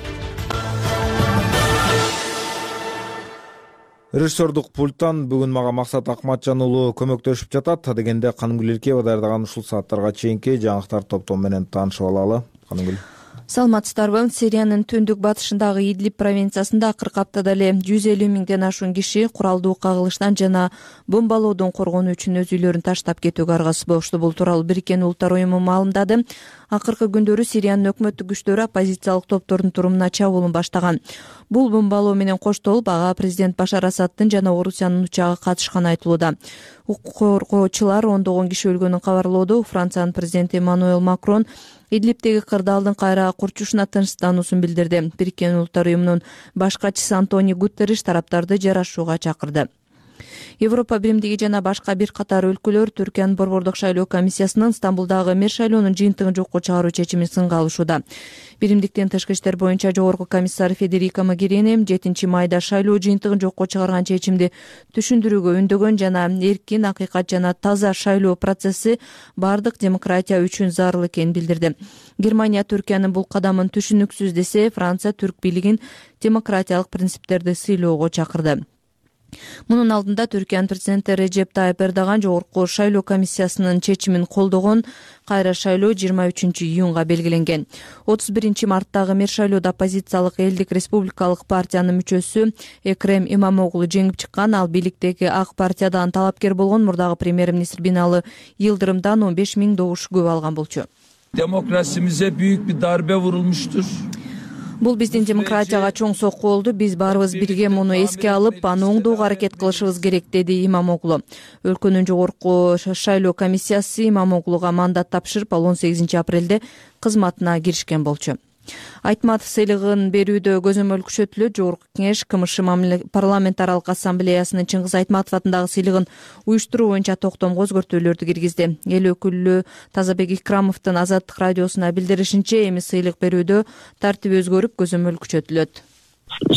Режиссердук пульттан бүгүн мага Максат Акматжан уулу көмөктөшүп жатат. Дегенде Канымгүл Эркеева даярдаган ушул сааттарга чейинки жаңылыктар топтому менен таанышып алалы. Канымгүл. Саламатсыздарбы? Сириянын түндүк батышындагы Идлиб провинциясында акыркы аптада эле жүз элүү миңден ашуун киши куралдуу кагылыштан жана бомбалоодон коргонуу үчүн өз үйлөрүн таштап кетүүгө аргасыз болушту. Бул тууралуу Бириккен Улуттар уюму маалымдады. Акыркы күндөрү Сириянын өкмөттүк күчтөрү оппозициялык топтордун турумуна чабуулун баштаган. Бул бомбалоо менен коштолуп, ага президент Башар Асаддын жана Орусиянын учагы катышканы айтылууда. Укук коргоочулар ондогон киши өлгөнүн кабарлоодо. Франциянын президенти Эммануэл Макрон Идлибтеги кырдаалдын кайра курчушуна тынчсыздануусун билдирди. Бириккен Улуттар уюмунун баш катчысы Антонио Гутерриш тараптарды жарашууга чакырды. Европа биримдиги жана башка бир катар өлкөлөр Түркиянын борбордук шайлоо комиссиясынын Стамбулдагы мэр шайлоонун жыйынтыгын жокко чыгаруу чечимин сынга алышууда. Биримдиктин тышкы иштер боюнча жогорку комиссары Федерико Могерини жетинчи майда шайлоо жыйынтыгын жокко чыгарган чечимди түшүндүрүүгө үндөгөн жана эркин, акыйкат жана таза шайлоо процесси бардык демократия үчүн зарыл экенин билдирди. Германия Түркиянын бул кадамын түшүнүксүз десе, Франция түрк бийлигин демократиялык принциптерди сыйлоого чакырды. Мунун алдында Түркиянын президенти Режеп Тайып Эрдоган жогорку шайлоо комиссиясынын чечимин колдогон. Кайра шайлоо жыйырма үчүнчү июнга белгиленген. отуз биринчи марттагы мэр шайлоодо оппозициялык Элдик республикалык партиянын мүчөсү Экрем Имамоглу жеңип чыккан. Ал бийликтеги Ак партиядан талапкер болгон мурдагы премьер-министр Бинали Йылдырымдан он беш миң добуш көп алган болчу. Demokrasimize büyük bir darbe vurulmuştur. Бул биздин демократияга чоң сокку болду. Биз баарыбыз бирге муну эске алып, аны оңдоого аракет кылышыбыз керек, деди Имамоглу. Өлкөнүн жогорку шайлоо комиссиясы Имамоглуга мандат тапшырып, ал он сегизинчи апрелде кызматына киришкен болчу. Айтматов сыйлыгын берүүдө көзөмөл күчөтүлөт. Жогорку кеңеш КМШ парламентаралык ассамблеясынын Чыңгыз Айтматов атындагы сыйлыгын уюштуруу боюнча токтомго өзгөртүүлөрдү киргизди. Эл өкүлү Тазабек Икрамовдун Азаттык радиосуна билдиришинче, эми сыйлык берүүдө тартип өзгөрүп, көзөмөл күчөтүлөт.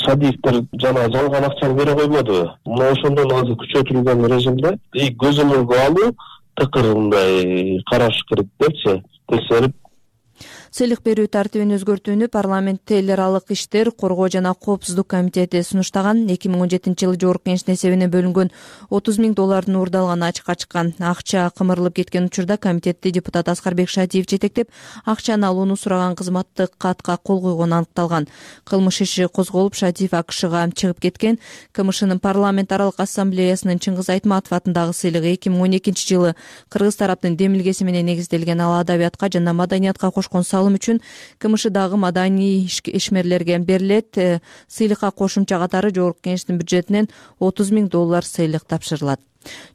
Садиевдер жана жалган акчаны бере койбоду. Мына ошондон азыр күчөтүлгөн режимде көзөмөлгө алуу тыкырындай караш керек депчи, текшерип. Сыйлык берүү тартибин өзгөртүүнү парламент эл аралык иштер, коргоо жана коопсуздук комитети сунуштаган. эки миң он жетинчи жылы жогорку кеңештин эсебине бөлүнгөн отуз миң доллардын уурдалганы ачыкка чыккан. Акча кымырылып кеткен учурда комитетти депутат Аскарбек Шатиев жетектеп, акчаны алууну сураган кызматтык катка кол койгону аныкталган. Кылмыш иши козголуп, Шатиев АКШга чыгып кеткен. КМШнын парламент аралык ассамблеясынын Чыңгыз Айтматов атындагы сыйлыгы эки миң он экинчи жылы кыргыз тараптын демилгеси менен негизделген. Ал адабиятка жана маданиятка кошкон салым үчүн КМШдагы маданий ишмерлерге берилет. Сыйлыкка кошумча катары жогорку кеңештин бюджетинен отуз миң доллар сыйлык тапшырылат.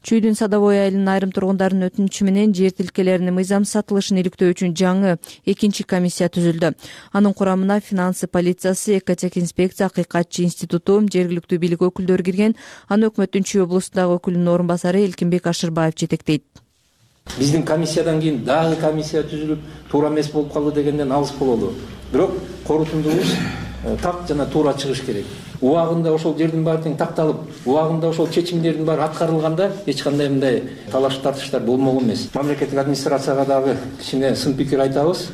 Чүйдүн Садовой айылынын айрым тургундарынын өтүнүчү менен жер тилкелеринин мыйзам сатылышын иликтөө үчүн жаңы экинчи комиссия түзүлдү. Анын курамына финансы полициясы, экотех инспекция, акыйкатчы институту, жергиликтүү бийлик өкүлдөрү кирген. Аны өкмөттүн Чүй облустундагы өкүлүнүн орун басары Элкинбек Ашырбаев жетектейт. Биздин комиссиядан кийин дагы комиссия түзүлүп туура эмес болуп калды дегенден алыс бололу. Бирок корутундубуз так жана туура чыгыш керек. Убагында ошол жердин баары тең такталып, убагында ошол чечимдердин баары аткарылганда эч кандай мындай талаш тартыштар болмогон эмес. Мамлекеттик администрацияга дагы кичине сын пикир айтабыз.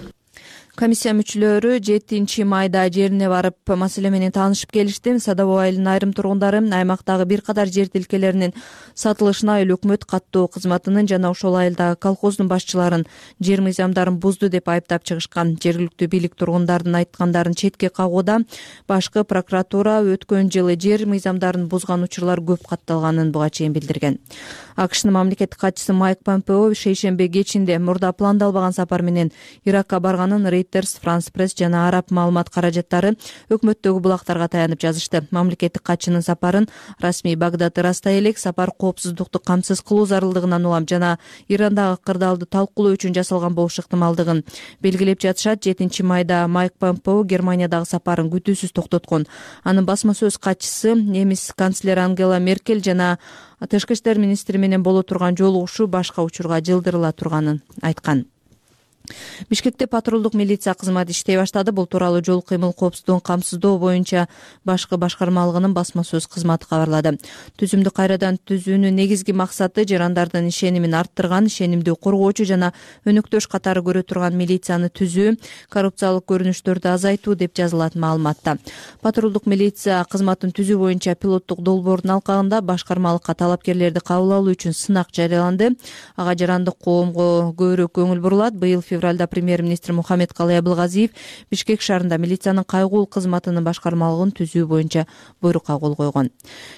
Комиссия мүчөлөрү жетинчи майда жерине барып маселе менен таанышып келишти. Садовой айылынын айрым тургундары аймактагы бир катар жер тилкелеринин сатылышына эл өкмөт каттоо кызматынын жана ошол айылдагы колхоздун башчыларын жер мыйзамдарын бузду деп айыптап чыгышкан. Жергиликтүү бийлик тургундардын айткандарын четке кагууда. Башкы прокуратура өткөн жылы жер мыйзамдарын бузган учурлар көп катталганын буга чейин билдирген. АКШнын мамлекеттик катчысы Майк Помпео шейшемби кечинде мурда пландалбаган сапар менен Иракка барганын Reuters, France Press жана араб маалымат каражаттары өкмөттөгү булактарга таянып жазышты. Мамлекеттик катчынын сапарын расмий Багдад ырастай элек сапар коопсуздукту камсыз кылуу зарылдыгынан улам жана Ирандагы кырдаалды талкуулоо үчүн жасалган болушу ыктымалдыгын белгилеп жатышат. жетинчи майда Майк Помпео Германиядагы сапарын күтүүсүз токтоткон. Анын басма сөз катчысы немис канцлери Ангела Меркель жана тышкы иштер министри менен боло турган жолугушуу башка учурга жылдырыла турганын айткан. Бишкекте патрулдук милиция кызматы иштей баштады. Бул тууралуу жол кыймыл коопсуздугун камсыздоо боюнча башкы башкармалыгынын басма сөз кызматы кабарлады. Түзүмдү кайрадан түзүүнүн негизги максаты жарандардын ишенимин арттырган, ишенимди коргоочу жана өнөктөш катары көрө турган милицияны түзүү, коррупциялык көрүнүштөрдү азайтуу деп жазылат маалыматта. Патрулдук милиция кызматын түзүү боюнча пилоттук долбоордун алкагында башкармалыкка талапкерлерди кабыл алуу үчүн сынак жарыяланды. Ага жарандык коомго көбүрөөк көңүл бурулат. Быйыл февралда премьер-министр Мухаммед Калай Абылгазиев Бишкек шаарында милициянын кайгуул кызматынын башкармалыгын түзүү боюнча буйрукка кол койгон.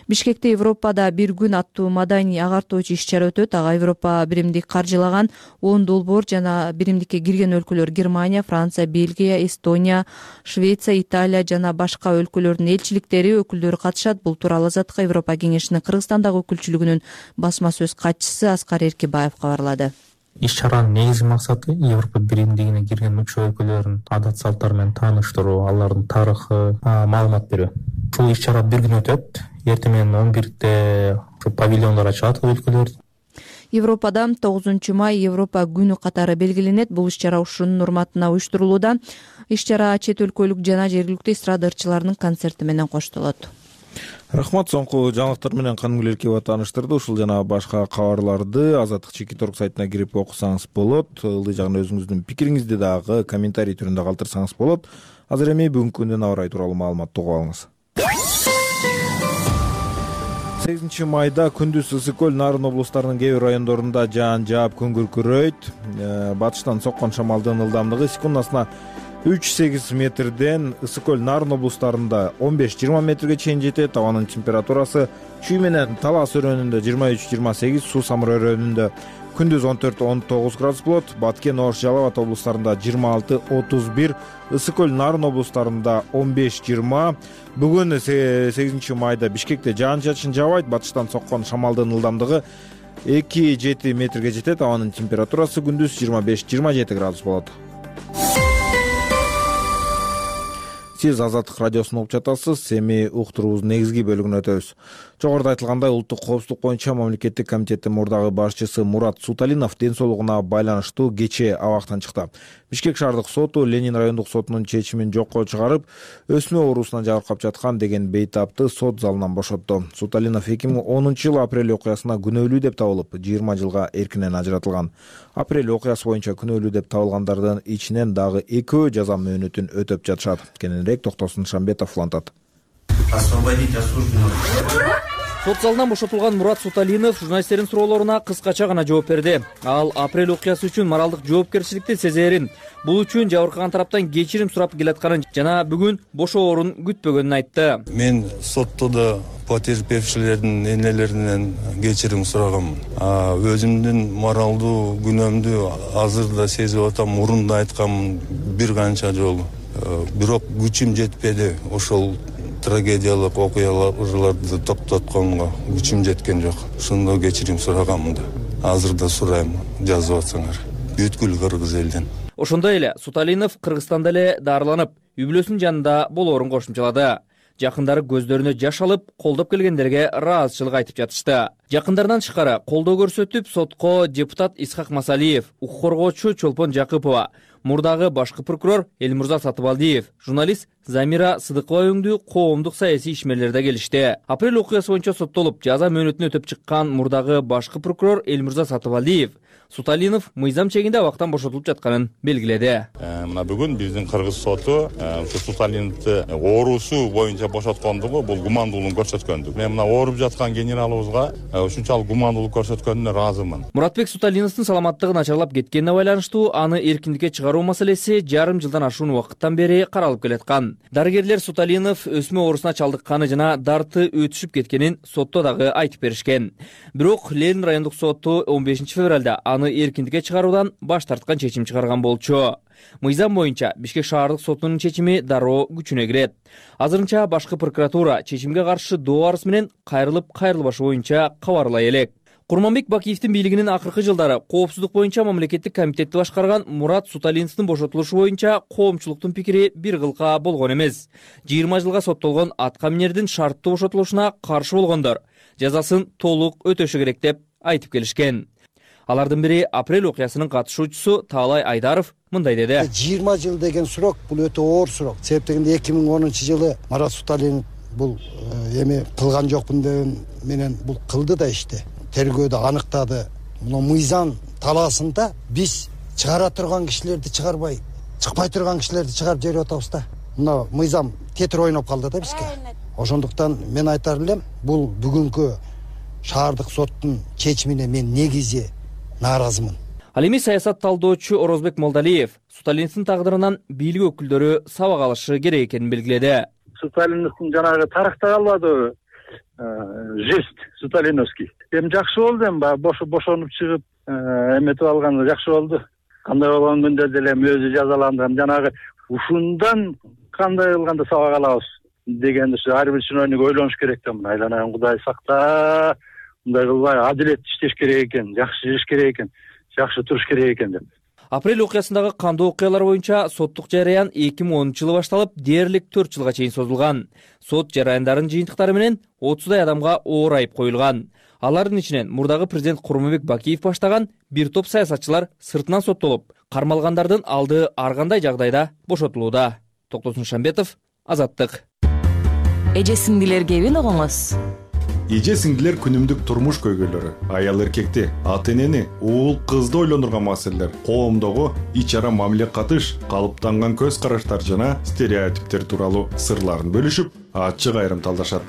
Бишкекте Европада бир күн аттуу маданий агартуучу иш-чара өтөт. Ага Европа биримдик каржылаган он долбоор жана биримдикке кирген өлкөлөр Германия, Франция, Бельгия, Эстония, Швеция, Италия жана башка өлкөлөрдүн элчиликтери өкүлдөрү катышат. Бул тууралуу Азаттык Европа кеңешинин Кыргызстандагы өкүлчүлүгүнүн басма сөз катчысы Аскар Эркибаев кабарлады. Иш-чаранын негизги максаты Европа биримдигине кирген мүчө өлкөлөрдүн адат салттары менен тааныштыруу, алардын тарыхы, маалымат берүү. Бул иш-чара бир күн өтөт. Эртең менен он бирде павильондор ачылат өлкөлөрдө. Европада тогузунчу май Европа күнү катары белгиленет. Бул иш-чара ушунун урматына уюштурулууда. Иш-чара чет өлкөлүк жана жергиликтүү эстрада ырчыларынын концерти менен коштолот. Рахмат. Соңку жаңылыктар менен Канымгүл Эркебова тааныштырды. Ушул жана башка кабарларды Азаттык Чекит орг сайтына кирип окусаңыз болот. Ылдый жагына өзүңүздүн пикириңизди дагы комментарий түрүндө калтырсаңыз болот. Азыр эми бүгүнкү күндүн аба ырайы тууралуу маалыматты угуп алыңыз. сегизинчи майда күндүз Ысык көл, Нарын облустарынын кээ бир райондорунда жаан жаап күн күркүрөйт. Батыштан соккон шамалдын ылдамдыгы секундасына үч сегиз метрден Ысык көл, Нарын облустарында он беш жыйырма метрге чейин жетет. Абанын температурасы чүй менен Талас өрөөнүндө жыйырма үч жыйырма сегиз, Суу Самыр өрөөнүндө күндүз он төрт он тогуз градус болот. Баткен, Ош, Жалал Абад облустарында жыйырма алты отуз бир, Ысык көл, Нарын облустарында он беш жыйырма. Бүгүн сегизинчи майда Бишкекте жаан-чачын жаабайт. Батыштан соккон шамалдын ылдамдыгы эки жети метрге жетет. Абанын температурасы күндүз жыйырма беш жыйырма жети градус болот. Сиз Азаттык радиосун угуп жатасыз. Эми уктуруубуздун негизги бөлүгүнө өтөбүз. Жогоруда айтылгандай, улуттук коопсуздук боюнча мамлекеттик комитеттин мурдагы башчысы Мурат Суталинов ден соолугуна байланыштуу кечээ абактан чыкты. Бишкек шаардык соту Ленин райондук сотунун чечимин жокко чыгарып, өсмө оорусуна жабыркап жаткан деген бейтапты сот залынан бошотту. Суталинов эки миң онунчу жылы апрель окуясына күнөөлүү деп табылып, жыйырма жылга эркинен ажыратылган. Апрель окуясы боюнча күнөөлүү деп табылгандардын ичинен дагы экөө жаза мөөнөтүн өтөп жатышат. Кененирээк Токтосун Шамбетов улантат. Освободить осужденного. Сот залынан бошотулган Мурат Суталинов журналисттердин суроолоруна кыскача гана жооп берди. Ал апрель окуясы үчүн моралдык жоопкерчиликти сезерин, бул үчүн жабыркаган тараптан кечирим сурап келатканын жана бүгүн бошоорун күтпөгөнүн айтты. Мен сотто да потерпевшилердин энелеринен кечирим сурагам. Өзүмдүн моралдуу күнөөмдү азыр да сезип атам, мурун да айткам бир канча жолу. Бирок күчүм жетпеди. Ошол трагедиялык окуяларды токтотконго күчүм жеткен жок. Ошондо кечирим сурагам да. Азыр да сурайм, жазып атсаңар. Бүткүл кыргыз элден. Ошондой эле Суталинов Кыргызстанда эле дарыланып, үй бүлөсүнүн жанында болоорун кошумчалады. жакындары көздөрүнө жаш алып колдоп келгендерге ыраазычылык айтып жатышты. Жакындарынан тышкары колдоо көрсөтүп сотко депутат Исхак Масалиев, укук коргоочу Чолпон Жакыпова, мурдагы башкы прокурор Элмурза Сатыбалдиев, журналист Замира Сыдыкова өңдүү коомдук саясий ишмерлер да келишти. Апрель окуясы боюнча соттолуп, жаза мөөнөтүн өтөп чыккан мурдагы башкы прокурор Элмурза Сатыбалдиев Суталинов мыйзам чегинде абактан бошотулуп жатканын белгиледи. Мына бүгүн биздин кыргыз соту Суталиновду оорусу боюнча бошоткондугу бул гумандуулук көрсөткөндүк. Мен мына ооруп жаткан генералыбызга ушунчалык гумандуулук көрсөткөнүнө ыраазымын. Муратбек Суталиновдун саламаттыгы начарлап кеткенине байланыштуу аны эркиндикке чыгаруу маселеси жарым жылдан ашуун убакыттан бери каралып келаткан. Дарыгерлер Суталинов өсмө оорусуна чалдыкканы жана дарты өтүшүп кеткенин сотто дагы айтып беришкен. Бирок Ленин райондук соту он бешинчи февралда аны эркиндикке чыгаруудан баш тарткан чечим чыгарган болчу. Мыйзам боюнча Бишкек шаардык сотунун чечими дароо күчүнө кирет. Азырынча башкы прокуратура чечимге каршы доо арыз менен кайрылып кайрылбашы боюнча кабарлай элек. Курманбек Бакиевдин бийлигинин акыркы жылдары коопсуздук боюнча мамлекеттик комитетти башкарган Мурат Суталиновдун бошотулушу боюнча коомчулуктун пикири бир кылка болгон эмес. жыйырма жылга соттолгон атка минердин шарттуу бошотулушуна каршы болгондор жазасын толук өтөшү керек деп айтып келишкен. Алардын бири апрель окуясынын катышуучусу Таалай Айдаров мындай деди. жыйырма жыл деген сурок бул өтө оор сурок. Себеп дегенде эки миң онунчу жылы Марат Суталинов бул эми кылган жокмун деген менен бул кылды да ишти. Тергөөдө аныктады. Мына мыйзам талаасында биз чыгара турган кишилерди чыгарбай, чыкпай турган кишилерди чыгарып жиберип атабыз да. Мына мыйзам тетир ойноп калды да бизге. Ошондуктан мен айтар элем, бул бүгүнкү шаардык соттун чечимине мен негизи нааразымын. Ал эми саясат талдоочу Орозбек Молдалиев Суталиновдун тагдырынан бийлик өкүлдөрү сабак алышы керек экенин белгиледи. Суталиновдун жанагы тарыхта калбадыбы? Жест Суталиновский. Эми жакшы болду, эми бош бошонуп чыгып, эметип алганы жакшы болду. Кандай болгон күндө деле өзү жазаланды. Жанагы ушундан кандай кылганда сабак алабыз дегенди ар бир чиновник ойлонуш керек да. Айланайын Кудай сакта, мындай кылбай адилет иштеш керек экен, жакшы жеш керек экен, жакшы туруш керек экен деп. Апрель окуясындагы кандуу окуялар боюнча соттук жараян эки миң онунчу жылы башталып, дээрлик төрт жылга чейин созулган. Сот жараяндарынын жыйынтыктары менен отуздай адамга оор айып коюлган. Алардын ичинен мурдагы президент Курманбек Бакиев баштаган бир топ саясатчылар сыртынан соттолуп, кармалгандардын алды ар кандай жагдайда бошотулууда. Токтосун Шамбетов, Азаттык. Эже сиңдилер кебин огоңуз. Эже сиңдилер күнүмдүк турмуш көйгөйлөрү, аял эркекти, ата энени, уул кызды ойлондурган маселелер, коомдогу ич ара мамиле катыш, калыптанган көз караштар жана стереотиптер тууралуу сырларын бөлүшүп, ачык айрым талдашат.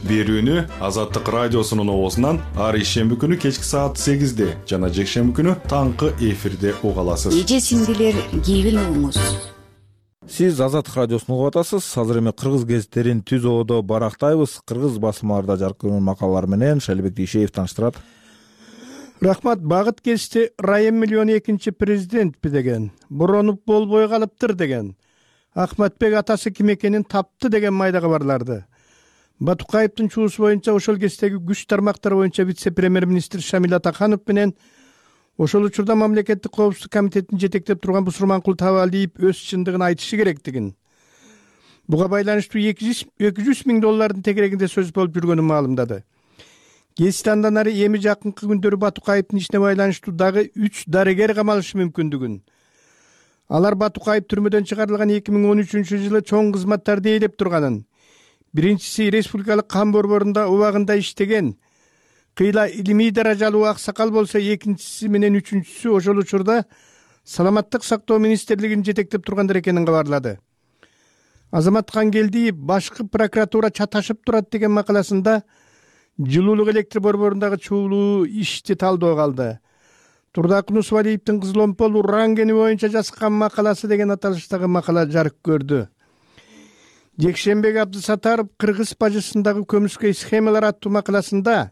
Берүүнү Азаттык радиосунун оозунан ар ишемби күнү кечки саат сегизде жана жекшемби күнү таңкы эфирде уга аласыз. Эже сиңдилер кебин огоңуз. Сиз Азаттык радиосун угуп атасыз. Азыр эми кыргыз гезиттерин түз оодо барактайбыз. Кыргыз басмаларда жарыкталган макалалар менен Шалибек Бейшеев тааныштырат. Рахмат. Багыт кести Райым миллион экинчи президентпи деген, буронуп болбой калыптыр деген, Ахматбек атасы ким экенин тапты деген майда кабарларды. Батукаевдин чуусу боюнча ошол кездеги күч тармактары боюнча вице-премьер-министр Шамил Атаханов менен ошол учурда мамлекеттик коопсуздук комитетин жетектеп турган Бусурманкул Табалиев өз чындыгын айтышы керектигин, буга байланыштуу эки жүз миң доллардын тегерегинде сөз болуп жүргөнүн маалымдады. Гезит андан ары эми жакынкы күндөрү Батукаевдин ишине байланыштуу дагы үч дарыгер камалышы мүмкүндүгүн, алар Батукаев түрмөдөн чыгарылган эки миң он үчүнчү жылы чоң кызматтарды ээлеп турганын, биринчиси республикалык кан борборунда убагында иштеген, кыйла илимий даражалуу аксакал болсо, экинчиси менен үчүнчүсү ошол учурда саламаттык сактоо министрлигин жетектеп тургандар экенин кабарлады. Азамат Кангелдиев башкы прокуратура чаташып турат деген макаласында жылуулук электр борборундагы чуулуу ишти талдоого алды. Турдакун Усвалиевдин Кызыломпол Урангени боюнча жазган макаласы деген аталыштагы макала жарык көрдү. Жекшембек Абдысатаров Кыргыз бажысындагы көмүскө схемалар аттуу макаласында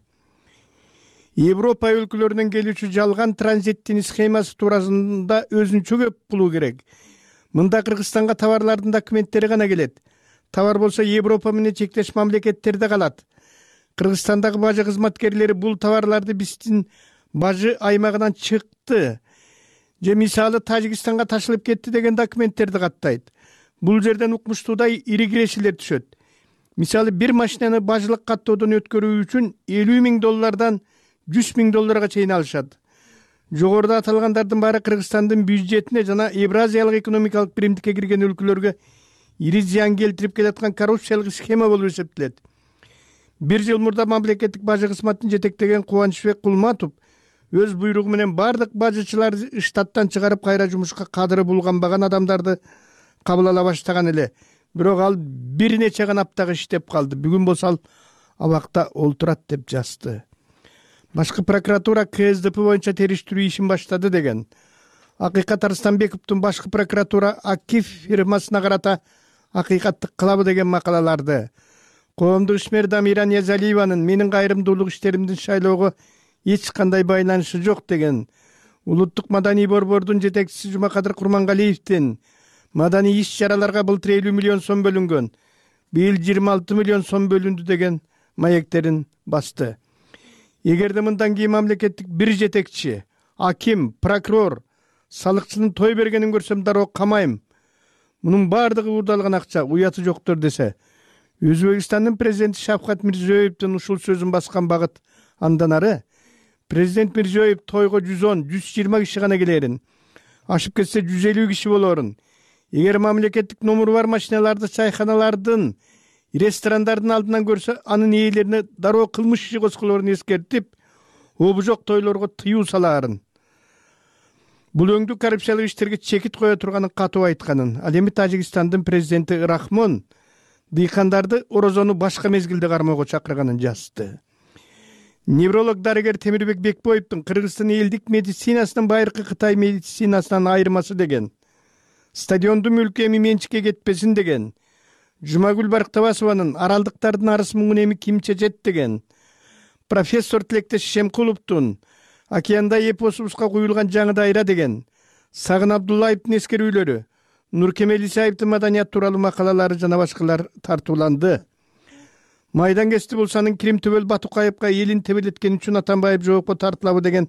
Европа өлкөлөрүнөн келүүчү жалган транзиттин схемасы туурасында өзүнчө көп булуу керек. Мында Кыргызстанга товарлардын документтери гана келет. Товар болсо Европа менен чектеш мамлекеттерде калат. Кыргызстандагы бажы кызматкерлери бул товарларды биздин бажы аймагынан чыкты, же мисалы Тажикстанга ташылып кетти деген документтерди каттайт. Бул жерден укмуштуудай ири кирешелер түшөт. мисалы бир машинаны бажылык каттоодон өткөрүү үчүн элүү миң доллардан жүз миң долларга чейин алышат. Жогоруда аталгандардын баары Кыргызстандын бюджетине жана Евразиялык экономикалык биримдикке кирген өлкөлөргө ири зыян келтирип келаткан коррупциялык схема болуп эсептелет. Бир жыл мурда мамлекеттик бажы кызматын жетектеген Кубанычбек Кулматов өз буйругу менен бардык бажычыларды штаттан чыгарып кайра жумушка кадыры булганбаган адамдарды кабыл ала баштаган эле. Бирок ал бир нече гана аптага иштеп калды. Бүгүн болсо ал абакта олтурат деп жазды. Башкы прокуратура К С Д П боюнча териштирүү ишин баштады деген. Акыйкат Арыстанбековдун башкы прокуратура Акиф фирмасына карата акыйкаттык кылабы деген макалаларды, коомдук ишмер Дамира Ниязалиеванын менин кайрымдуулук иштеримдин шайлоого эч кандай байланышы жок деген, улуттук маданий борбордун жетекчиси Жумакадыр Курмангалиевдин маданий иш-чараларга былтыр элүү миллион сом бөлүнгөн, быйыл жыйырма алты миллион сом бөлүндү деген маектерин басты. Эгерде мындан кийин мамлекеттик бир жетекчи, аким, прокурор салыкчынын той бергенин көрсөм дароо камайм. Мунун баардыгы уурдалган акча, уяты жоктор десе, Өзбекстандын президенти Шавкат Мирзиёевдин ушул сөзүн баскан багыт андан ары президент Мирзиёев тойго жүз он жүз жыйырма киши гана келерин, ашып кетсе жүз элүү киши болорун. Эгер мамлекеттик номуру бар машиналарды чайханалардын, ресторандардын алдынан көрсө, анын ээлерине дароо кылмыш иши козголорун эскертип, обу жок тойлорго тыюу салаарын. Бул өңдүү коррупциялык иштерге чекит кое турганын катуу айтканын. Ал эми Тажикстандын президенти Рахмон дыйкандарды орозону башка мезгилде кармоого чакырганын жазды. Невролог дарыгер Темирбек Бекбоевдун Кыргызстан элдик медицинасынын байыркы Кытай медицинасынан айырмасы деген, стадиондун мүлкү эми менчикке кетпесин деген, Жумагүл Барктабасованын аралдыктардын арыс муңун эми ким чечет деген, профессор Тилектеш Шемкуловдун океанда эпосубузга куюлган жаңы дайра деген, Сагын Абдуллаевдин эскерүүлөрү, Нуркемел Исаевдин маданият тууралуу макалалары жана башкалар тартууланды. Майдангести Булсанын Кирим Төбөл Батукаевга элин тебелеткени үчүн Атамбаев жоопко тартылабы деген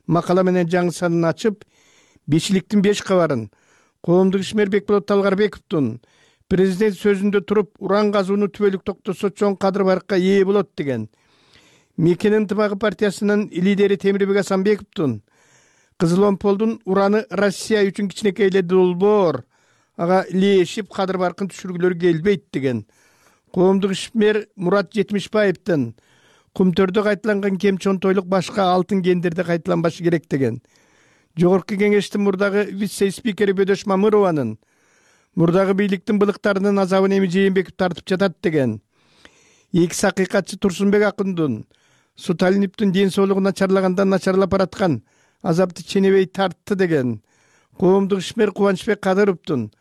макала менен жаңы санын ачып, бешиликтин беш кабарын, коомдук ишмер Бекболот Талгарбековдун президент сөзүндө туруп уран казууну түбөлүк токтосо чоң кадыр барыкка ээ болот деген, Мекен ынтымагы партиясынын лидери Темирбек Асанбековдун Кызыл Омполдун ураны Россия үчүн кичинекей эле долбоор, ага лешип кадыр баркын түшүргүлөрү келбейт деген, коомдук ишмер Мурат Жетимишбаевдин Кумтөрдө кайталанган кем чонтойлук башка алтын кендерде кайталанбашы керек деген, Жогорку кеңештин мурдагы вице-спикери Бөдөш Мамырованын мурдагы бийликтин былыктарынын азабын эми Жээнбеков тартып жатат деген, экс акыйкатчы Турсунбек Акындын Суталиновдун ден соолугу начарлагандан начарлап бараткан азапты ченебей тартты деген, коомдук ишмер Кубанычбек Кадыровдун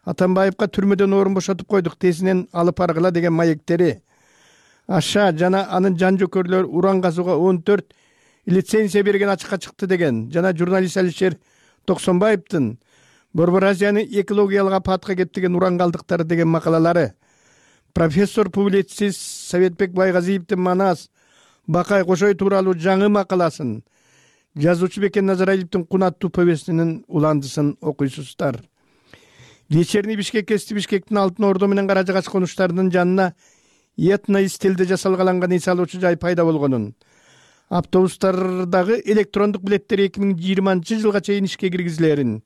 Атамбаевга түрмөдөн орун бошотуп койдук, тезинен алып баргыла деген маектери, Аша жана анын жан жөкөрлөр уран казууга он төрт лицензия берген ачыкка чыкты деген, жана журналист Алишер Токсонбаевдин Борбор Азияны экологиялык апатка кеткен уран калдыктары деген макалалары, профессор публицист Советбек Байгазиевдин Манас Бакай Кошой тууралуу жаңы макаласын, жазуучу Бекен Назаралиевдин Кунаттуу повестинин уландысын окуйсуздар. Вечерний Бишкек кести Бишкектин Алтын Ордо менен Кара Жагач конуштарынын жанына этно стилде жасалгаланган эс алуучу жай пайда болгонун, автобустардагы электрондук билеттер эки миң жыйырманчы жылга чейин ишке киргизилерин,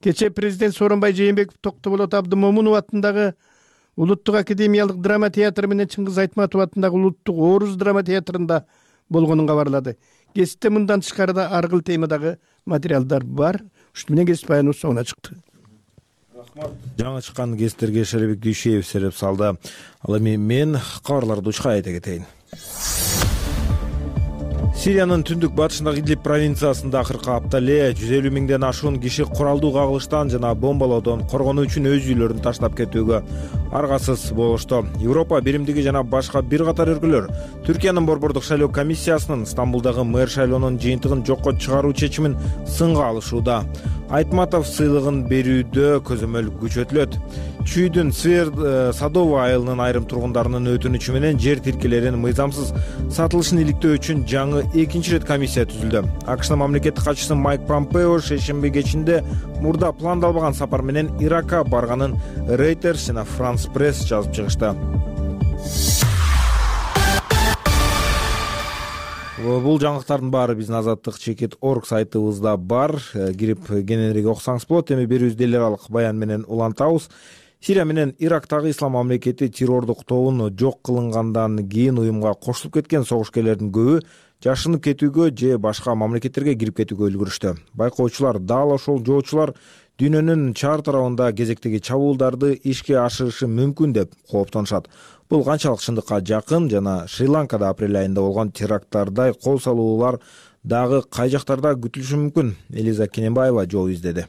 кече президент Сооронбай Жээнбеков Токтоболот Абдымомунов атындагы Улуттук академиялык драма театры менен Чыңгыз Айтматов атындагы Улуттук Орус драма театрында болгонун кабарлады. Кесипте мындан тышкары да ар кыл темадагы материалдар бар. Ушуну менен кесип баяныбыз соңуна чыкты. Жаңы чыккан кесиптерге Шеребек Дүйшеев сереп салды. Ал эми мен кабарларды учка айта кетейин. Сириянын түндүк батышындагы Идлиб провинциясында акыркы апта эле жүз элүү миңден ашуун киши куралдуу кагылыштан жана бомбалоодон коргонуу үчүн өз үйлөрүн таштап кетүүгө аргасыз болушту. Европа биримдиги жана башка бир катар өлкөлөр Түркиянын борбордук шайлоо комиссиясынын Стамбулдагы мэр шайлоонун жыйынтыгын жокко чыгаруу чечимин сынга алышууда. Айтматов сыйлыгын берүүдө көзөмөл күчөтүлөт. Чүйдүн Сыр Садова айылынын айрым тургундарынын өтүнүчү менен жер тилкелеринин мыйзамсыз сатылышын иликтөө үчүн жаңы экинчи ирет комиссия түзүлдү. АКШнын мамлекеттик катчысы Майк Помпео шейшемби кечинде мурда пландалбаган сапар менен Иракка барганын Reuters жана France Press жазып чыгышты. Бул жаңылыктардын баары биздин азаттык чекит орг сайтыбызда бар. Кирип кененирээк окусаңыз болот. Эми берүүбүздү эл аралык баян менен улантабыз. Сирия менен Ирактагы ислам мамлекети террордук тобун жок кылынгандан кийин уюмга кошулуп кеткен согушкерлердин көбү жашынып кетүүгө же башка мамлекеттерге кирип кетүүгө үлгүрүштү. Байкоочулар дал ошол жоочулар дүйнөнүн чар тарабында кезектеги чабуулдарды ишке ашырышы мүмкүн деп кооптонушат. Бул канчалык чындыкка жакын жана Шри-Ланкада апрель айында болгон теракттардай кол салуулар дагы кай жактарда күтүлүшү мүмкүн? Элиза Кененбаева жол издеди.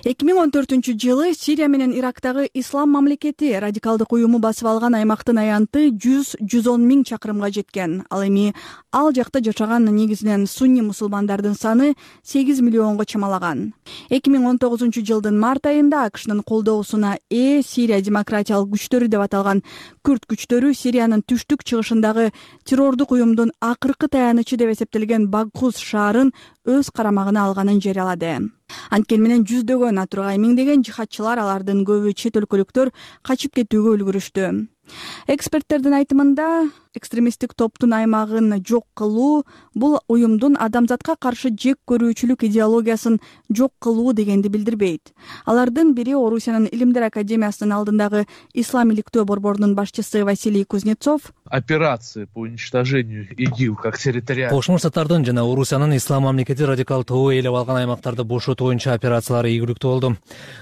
эки миң он төртүнчү жылы Сирия менен Ирактагы ислам мамлекети радикалдык уюму басып алган аймактын аянты жүз жүз он миң чакырымга жеткен. Ал эми ал жакта жашаган негизинен сунни мусулмандардын саны сегиз миллионго чамалаган. эки миң он тогузунчу жылдын март айында АКШнын колдоосуна ээ Сирия демократиялык күчтөрү деп аталган күрд күчтөрү Сириянын түштүк чыгышындагы террордук уюмдун акыркы таянычы деп эсептелген Багхуз шаарын өз карамагына алганын жарыялады. Анткени менен жүздөгөн, а тургай миңдеген жихадчылар, алардын көбү чет өлкөлүктөр, качып кетүүгө үлгүрүштү. Эксперттердин айтымында экстремисттик топтун аймагын жок кылуу бул уюмдун адамзатка каршы жек көрүүчүлүк идеологиясын жок кылуу дегенди билдирбейт. Алардын бири Орусиянын Илимдер академиясынын алдындагы ислам иликтөө борборунун башчысы Василий Кузнецов. Операции по уничтожению ИГИЛ как территориальный. Кошмо Штаттардын жана Орусиянын ислам мамлекети радикал тобу ээлеп алган аймактарды бошотуу боюнча операциялары ийгиликтүү болду.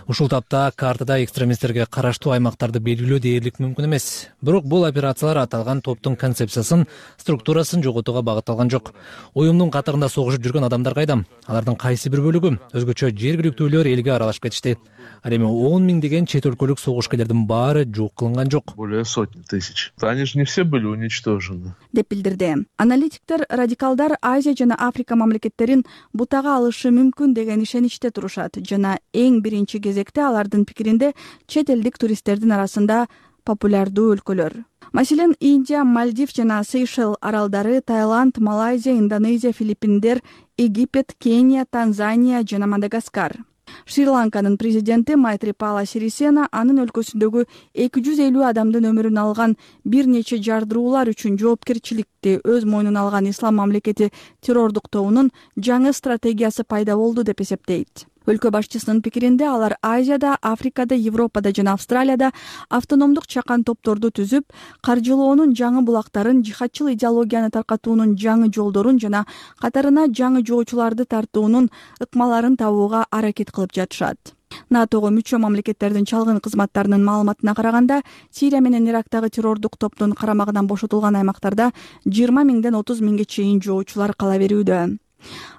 Ушул тапта картада экстремисттерге караштуу аймактарды белгилөө дээрлик мүмкүн эмес. Бирок бул операциялар аталган топтун концепциясын, структурасын жоготууга багытталган жок. Уюмдун катарында согушуп жүргөн адамдар кайда? Алардын кайсы бир бөлүгү өзгөчө жергиликтүүлөр элге аралашып кетишти. Ал эми он миңдеген чет өлкөлүк согушкерлердин баары жок кылынган жок. Более сотни тысяч. Они же не все были уничтожены. Деп билдирди. Аналитиктер радикалдар Азия жана Африка мамлекеттерин бутага алышы мүмкүн деген ишеничте турушат жана эң биринчи кезекте алардын пикиринде чет элдик туристтердин арасында популярдуу өлкөлөр. Маселен, Индия, Мальдив жана Сейшел аралдары, Таиланд, Малайзия, Индонезия, Филиппиндер, Египет, Кения, Танзания жана Мадагаскар. Шри-Ланканын президенти Майтрипала Сирисена анын өлкөсүндөгү эки жүз элүү адамдын өмүрүн алган бир нече жардыруулар үчүн жоопкерчиликти өз мойнуна алган ислам мамлекети террордук тобунун жаңы стратегиясы пайда болду деп эсептейт. Өлкө башчысынын пикиринде алар Азияда, Африкада, Европада жана Австралияда автономдук чакан топторду түзүп, каржылоонун жаңы булактарын, жихадчыл идеологияны таркатуунун жаңы жолдорун жана катарына жаңы жоочуларды тартуунун ыкмаларын табууга аракет кылып жатышат. натого мүчө мамлекеттердин чалгын кызматтарынын маалыматына караганда, Сирия менен Ирактагы террордук топтун карамагынан бошотулган аймактарда жыйырма миңден отуз миңге чейин жоочулар кала берүүдө.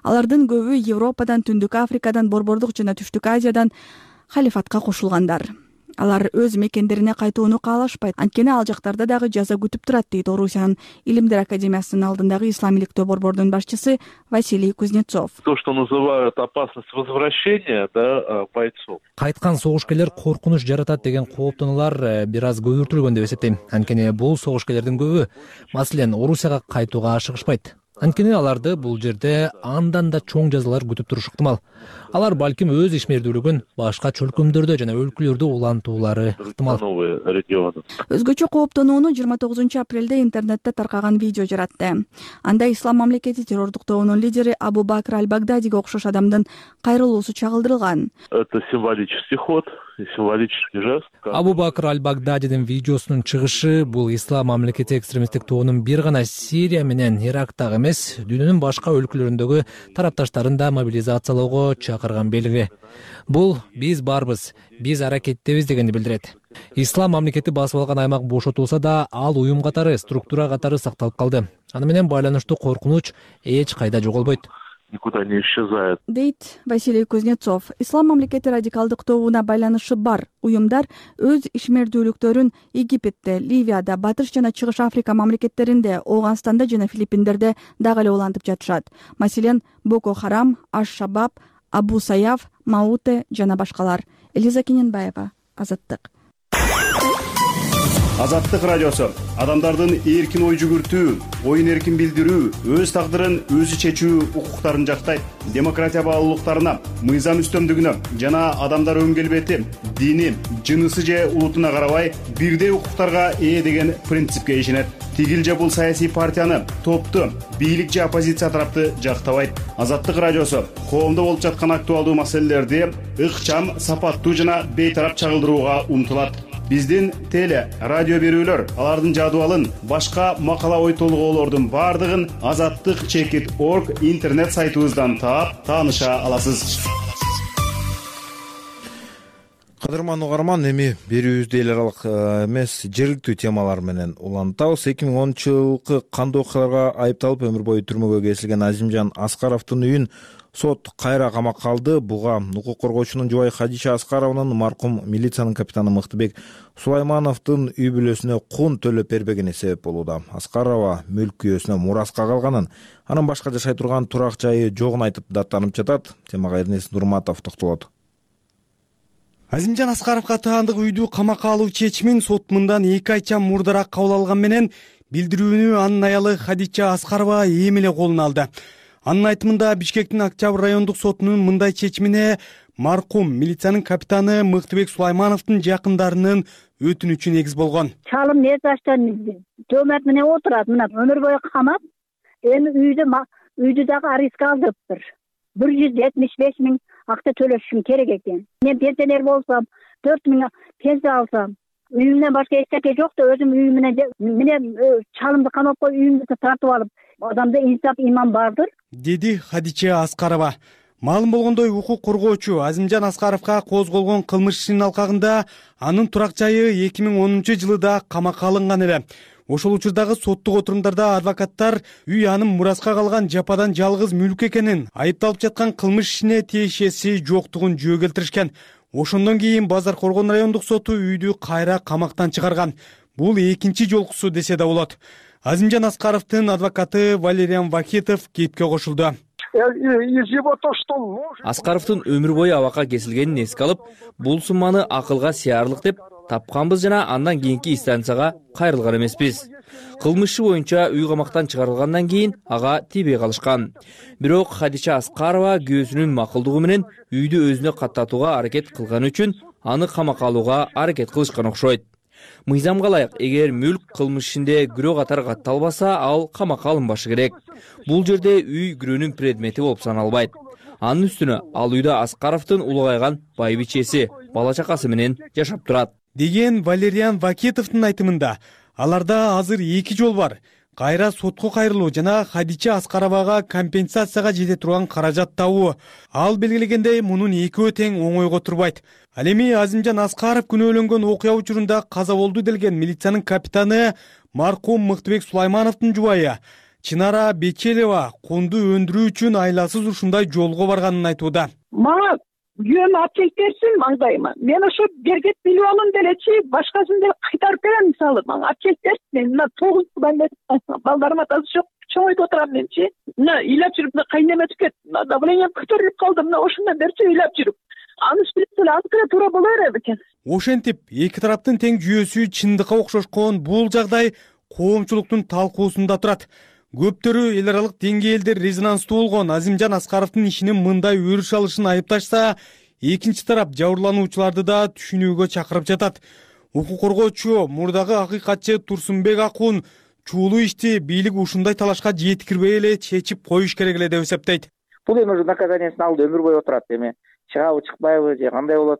Алардын көбү Европадан, Түндүк Африкадан, Борбордук жана Түштүк Азиядан халифатка кошулгандар. Алар өз мекендерине кайтууну каалашпайт. Анткени ал жактарда дагы жаза күтүп турат, дейт Орусиянын Илимдер академиясынын алдындагы ислам иликтөө борборунун башчысы Василий Кузнецов. То, что называют опасность возвращения, да, бойцов. Кайткан согушкерлер коркунуч жаратат деген кооптонуулар бир аз көбүртүлгөн деп эсептейм. Анткени бул согушкерлердин көбү, маселен, Орусияга кайтууга ашыгышпайт. Анткени аларды бул жерде андан да чоң жазалар күтүп турушу ыктымал. Алар балким өз ишмердүүлүгүн башка чөлкөмдөрдө жана өлкөлөрдө улантуулары ыктымал. Өзгөчө кооптонууну жыйырма тогузунчу апрелде интернетте таркаган видео жаратты. Анда ислам мамлекети террордук тобунун лидери Абу Бакр аль-Багдадиге окшош адамдын кайрылуусу чагылдырылган. Это символический ход, символический жест. Абу Бакр аль-Багдадидин видеосунун чыгышы бул ислам мамлекети экстремисттик тобунун бир гана Сирия менен Ирактагы эмес, дүйнөнүн башка өлкөлөрүндөгү тарапташтарын да мобилизациялоого чакырган белги. Бул биз барбыз, биз аракеттебиз дегенди билдирет. Ислам мамлекети басып алган аймак бошотулса да, ал уюм катары, структура катары сакталып калды. Аны менен байланыштуу коркунуч эч кайда жоголбойт. Никуда не исчезает. Дейт Василий Кузнецов. Ислам мамлекети радикалдык тобуна байланышы бар уюмдар өз ишмердүүлүктөрүн Египетте, Ливияда, Батыш жана Чыгыш Африка мамлекеттеринде, Ооганстанда жана Филиппиндерде дагы эле улантып жатышат. Маселен, Боко Харам, Аш-Шабаб, Абу Саяф, Мауте жана башкалар. Элиза Кененбаева, Азаттык. Азаттык радиосу адамдардын эркин ой жүгүртүү, оюн эркин билдирүү, өз тагдырын өзү чечүү укуктарын жактайт. Демократия баалуулуктарына, мыйзам үстөмдүгүнө жана адамдар өн келбети, дини, жынысы же улутуна карабай бирдей укуктарга ээ деген принципке ишенет. Тигил же бул саясий партияны, топту, бийлик же оппозиция тарапты жактабайт. Азаттык радиосу коомдо болуп жаткан актуалдуу маселелерди ыкчам, сапаттуу жана бейтарап чагылдырууга умтулат. Биздин теле, радио берүүлөр, алардын жадыбалын, башка макала ой толгоолордун бардыгын азаттык чекит точка орг интернет сайтыбыздан таап, тааныша аласыз. Кадырман угарман, эми берүүбүздү эл аралык эмес, жергиликтүү темалар менен улантабыз. эки миң онунчу жылкы кандуу окуяларга айыпталып өмүр бою түрмөгө кесилген Азимжан Аскаровдун үйүн сот кайра камакка алды. Буга укук коргоочунун жубайы Хадича Аскарованын маркум милициянын капитаны Мыктыбек Сулаймановдун үй бүлөсүнө кун төлөп бербегени себеп болууда. Аскарова мүлк күйөөсүнө мураска калганын, анын башка жашай турган турак жайы жогун айтып даттанып жатат. Темага Эрнест Нурматов токтолот. Азимжан Аскаровго таандык үйдү камакка алуу чечимин сот мындан эки айча мурдараак кабыл алган менен билдирүүнү анын аялы Хадича Аскарова эми эле колуна алды. Анын айтымында Бишкектин Октябрь райондук сотунун мындай чечимине маркум милициянын капитаны Мыктыбек Сулаймановдун жакындарынын өтүнүчү негиз болгон. Чалым не заштан төмөт менен отурат, мына өмүр бою камап, эми үйдү үйдү дагы арестке алдырыптыр. бир жүз жетимиш беш миң акча төлөшүм керек экен. Мен пенсионер болсам, төрт миң пенсия алсам, үйүмдөн башка эч нерсе жок да өзүм үйүм менен менен чалымды камап коюп үйүмдү тартып алып, адамда инсап иман бардыр, деди Хадича Аскарова. Маалым болгондой, укук коргоочу Азимжан Аскаровго козголгон кылмыш ишинин алкагында анын турак жайы эки миң онунчу жылы да камакка алынган эле. Ошол учурдагы соттук отурумдарда адвокаттар үй анын мураска калган жападан жалгыз мүлк экенин, айыпталып жаткан кылмыш ишине тиешеси жоктугун жөө келтиришкен. Ошондон кийин Базар Коргон райондук соту үйдү кайра камактан чыгарган. Бул экинчи жолкусу десе да болот. Азимжан Аскаровдун адвокаты Валериан Вахитов кепке кошулду. Аскаровдун өмүр бою абакка кесилгенин эске алып, бул сумманы акылга сыярлык деп тапканбыз жана андан кийинки инстанцияга кайрылган эмеспиз. Кылмышы боюнча үй камактан чыгарылгандан кийин ага тийбей калышкан. Бирок Хадича Аскарова күйөөсүнүн макулдугу менен үйдү өзүнө каттатууга аракет кылганы үчүн аны камакка алууга аракет кылышкан окшойт. Мыйзамга ылайык, эгер мүлк кылмыш ишинде күрөө катары катталбаса, ал камакка алынбашы керек. Бул жерде үй күрөөнүн предмети болуп саналбайт. Анын үстүнө ал үйдө Аскаровдун улгайган байбичеси, бала чакасы менен жашап турат, деген Валериан Вакитовдун айтымында. Аларда азыр эки жол бар. Кайра сотко кайрылуу жана Хадича Аскаровага компенсацияга жете турган каражат табуу. Ал белгилегендей, мунун экөө тең оңойго турбайт. Ал эми Азимжан Аскаров күнөөлөнгөн окуя учурунда каза болду делген милициянын капитаны маркум Мыктыбек Сулаймановдун жубайы Чынара Бечелева кунду өндүрүү үчүн айласыз ушундай жолго барганын айтууда. Мага күйөөм апчек берсин маңдайыма. Мен ошо берген миллионун делечи башкасын деле кайтарып берем, мисалы. Мага апчек берсин. Мен мына тогуз жылдан бери балдарым атасы жок. Чоңойт отурам менчи. Мына ыйлап жүрүп, мына кайнеме түкет. Давлением көтөрүлүп калды. Мына ошондон берчи ыйлап жүрүп. Аны билип эле азыр туура боло берет экен. Ошентип, эки тараптын тең жүйөсү чындыкка окшошкон бул жагдай коомчулуктун талкуусунда турат. Көптөрү эл аралык деңгээлде резонанстуу болгон Азимжан Аскаровдун ишинин мындай өрүш алышын айыпташса, экинчи тарап жабырлануучуларды да түшүнүүгө чакырып жатат. Укук коргоочу мурдагы акыйкатчы Турсунбек Акун чуулуу ишти бийлик ушундай талашка жеткирбей эле чечип коюш керек эле деп эсептейт. Бул эми уже наказаниясын алды, өмүр бою отурат. Эми чыгабы чыкпайбы же кандай болот?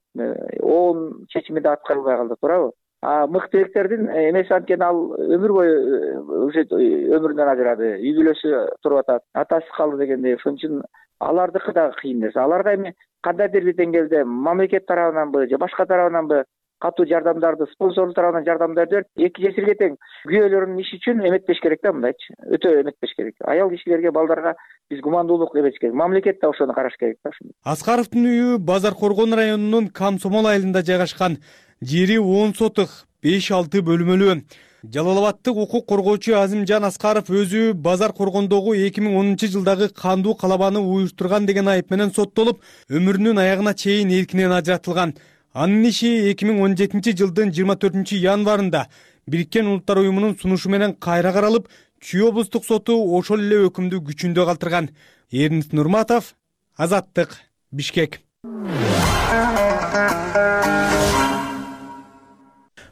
Оон чечими да аткарылбай калды, туурабы? А Мыктыбектердин эмеси анткени ал өмүр бою уже өмүрүнөн ажырады, үй бүлөсү туруп атат, атасы калды дегендей. Ошон үчүн алардыкы дагы кыйын нерсе. Аларга эми кандайдыр бир деңгээлде мамлекет тарабынан же башка тарабынан катуу жардамдарды, спонсорлор тарабынан жардамдарды берип, эки жесирге тең күйөөлөрүнүн иши үчүн эметпеш керек да, мындайчы. Өтө эметпеш керек. Аял кишилерге, балдарга биз гумандуулук эметиш керек. Мамлекет да ошону караш керек да. Аскаровдун үйү Базар Коргон районунун Комсомол айылында жайгашкан. Жери он сотых, беш алты бөлмөлүү. Жалал-Абадтык укук коргоочу Азимжан Аскаров өзү Базар Коргондогу эки миң онунчу жылдагы кандуу калабаны уюштурган деген айып менен соттолуп, өмүрүнүн аягына чейин эркинен ажыратылган. Анын иши эки миң он жетинчи жылдын жыйырма төртүнчү январында Бириккен Улуттар уюмунун сунушу менен кайра каралып, Чүй облустук соту ошол эле өкүмдү күчүндө калтырган. Эрнис Нурматов, Азаттык, Бишкек.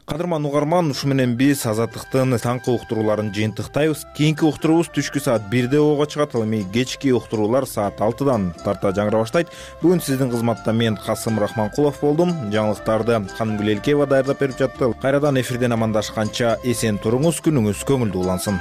Кадырман угарман, ушу менен биз Азаттыктын таңкы уктурууларын жыйынтыктайбыз. Кийинки уктуруубуз түшкү саат бирде ого чыгат, ал эми кечки уктуруулар саат алтыдан тарта жаңыра баштайт. Бүгүн сиздин кызматта мен Касым Рахманкулов болдум. Жаңылыктарды Канымгүл Элкеева даярдап берип жатты. Кайрадан эфирден амандашканча эсен туруңуз, күнүңүз көңүлдүү улансын.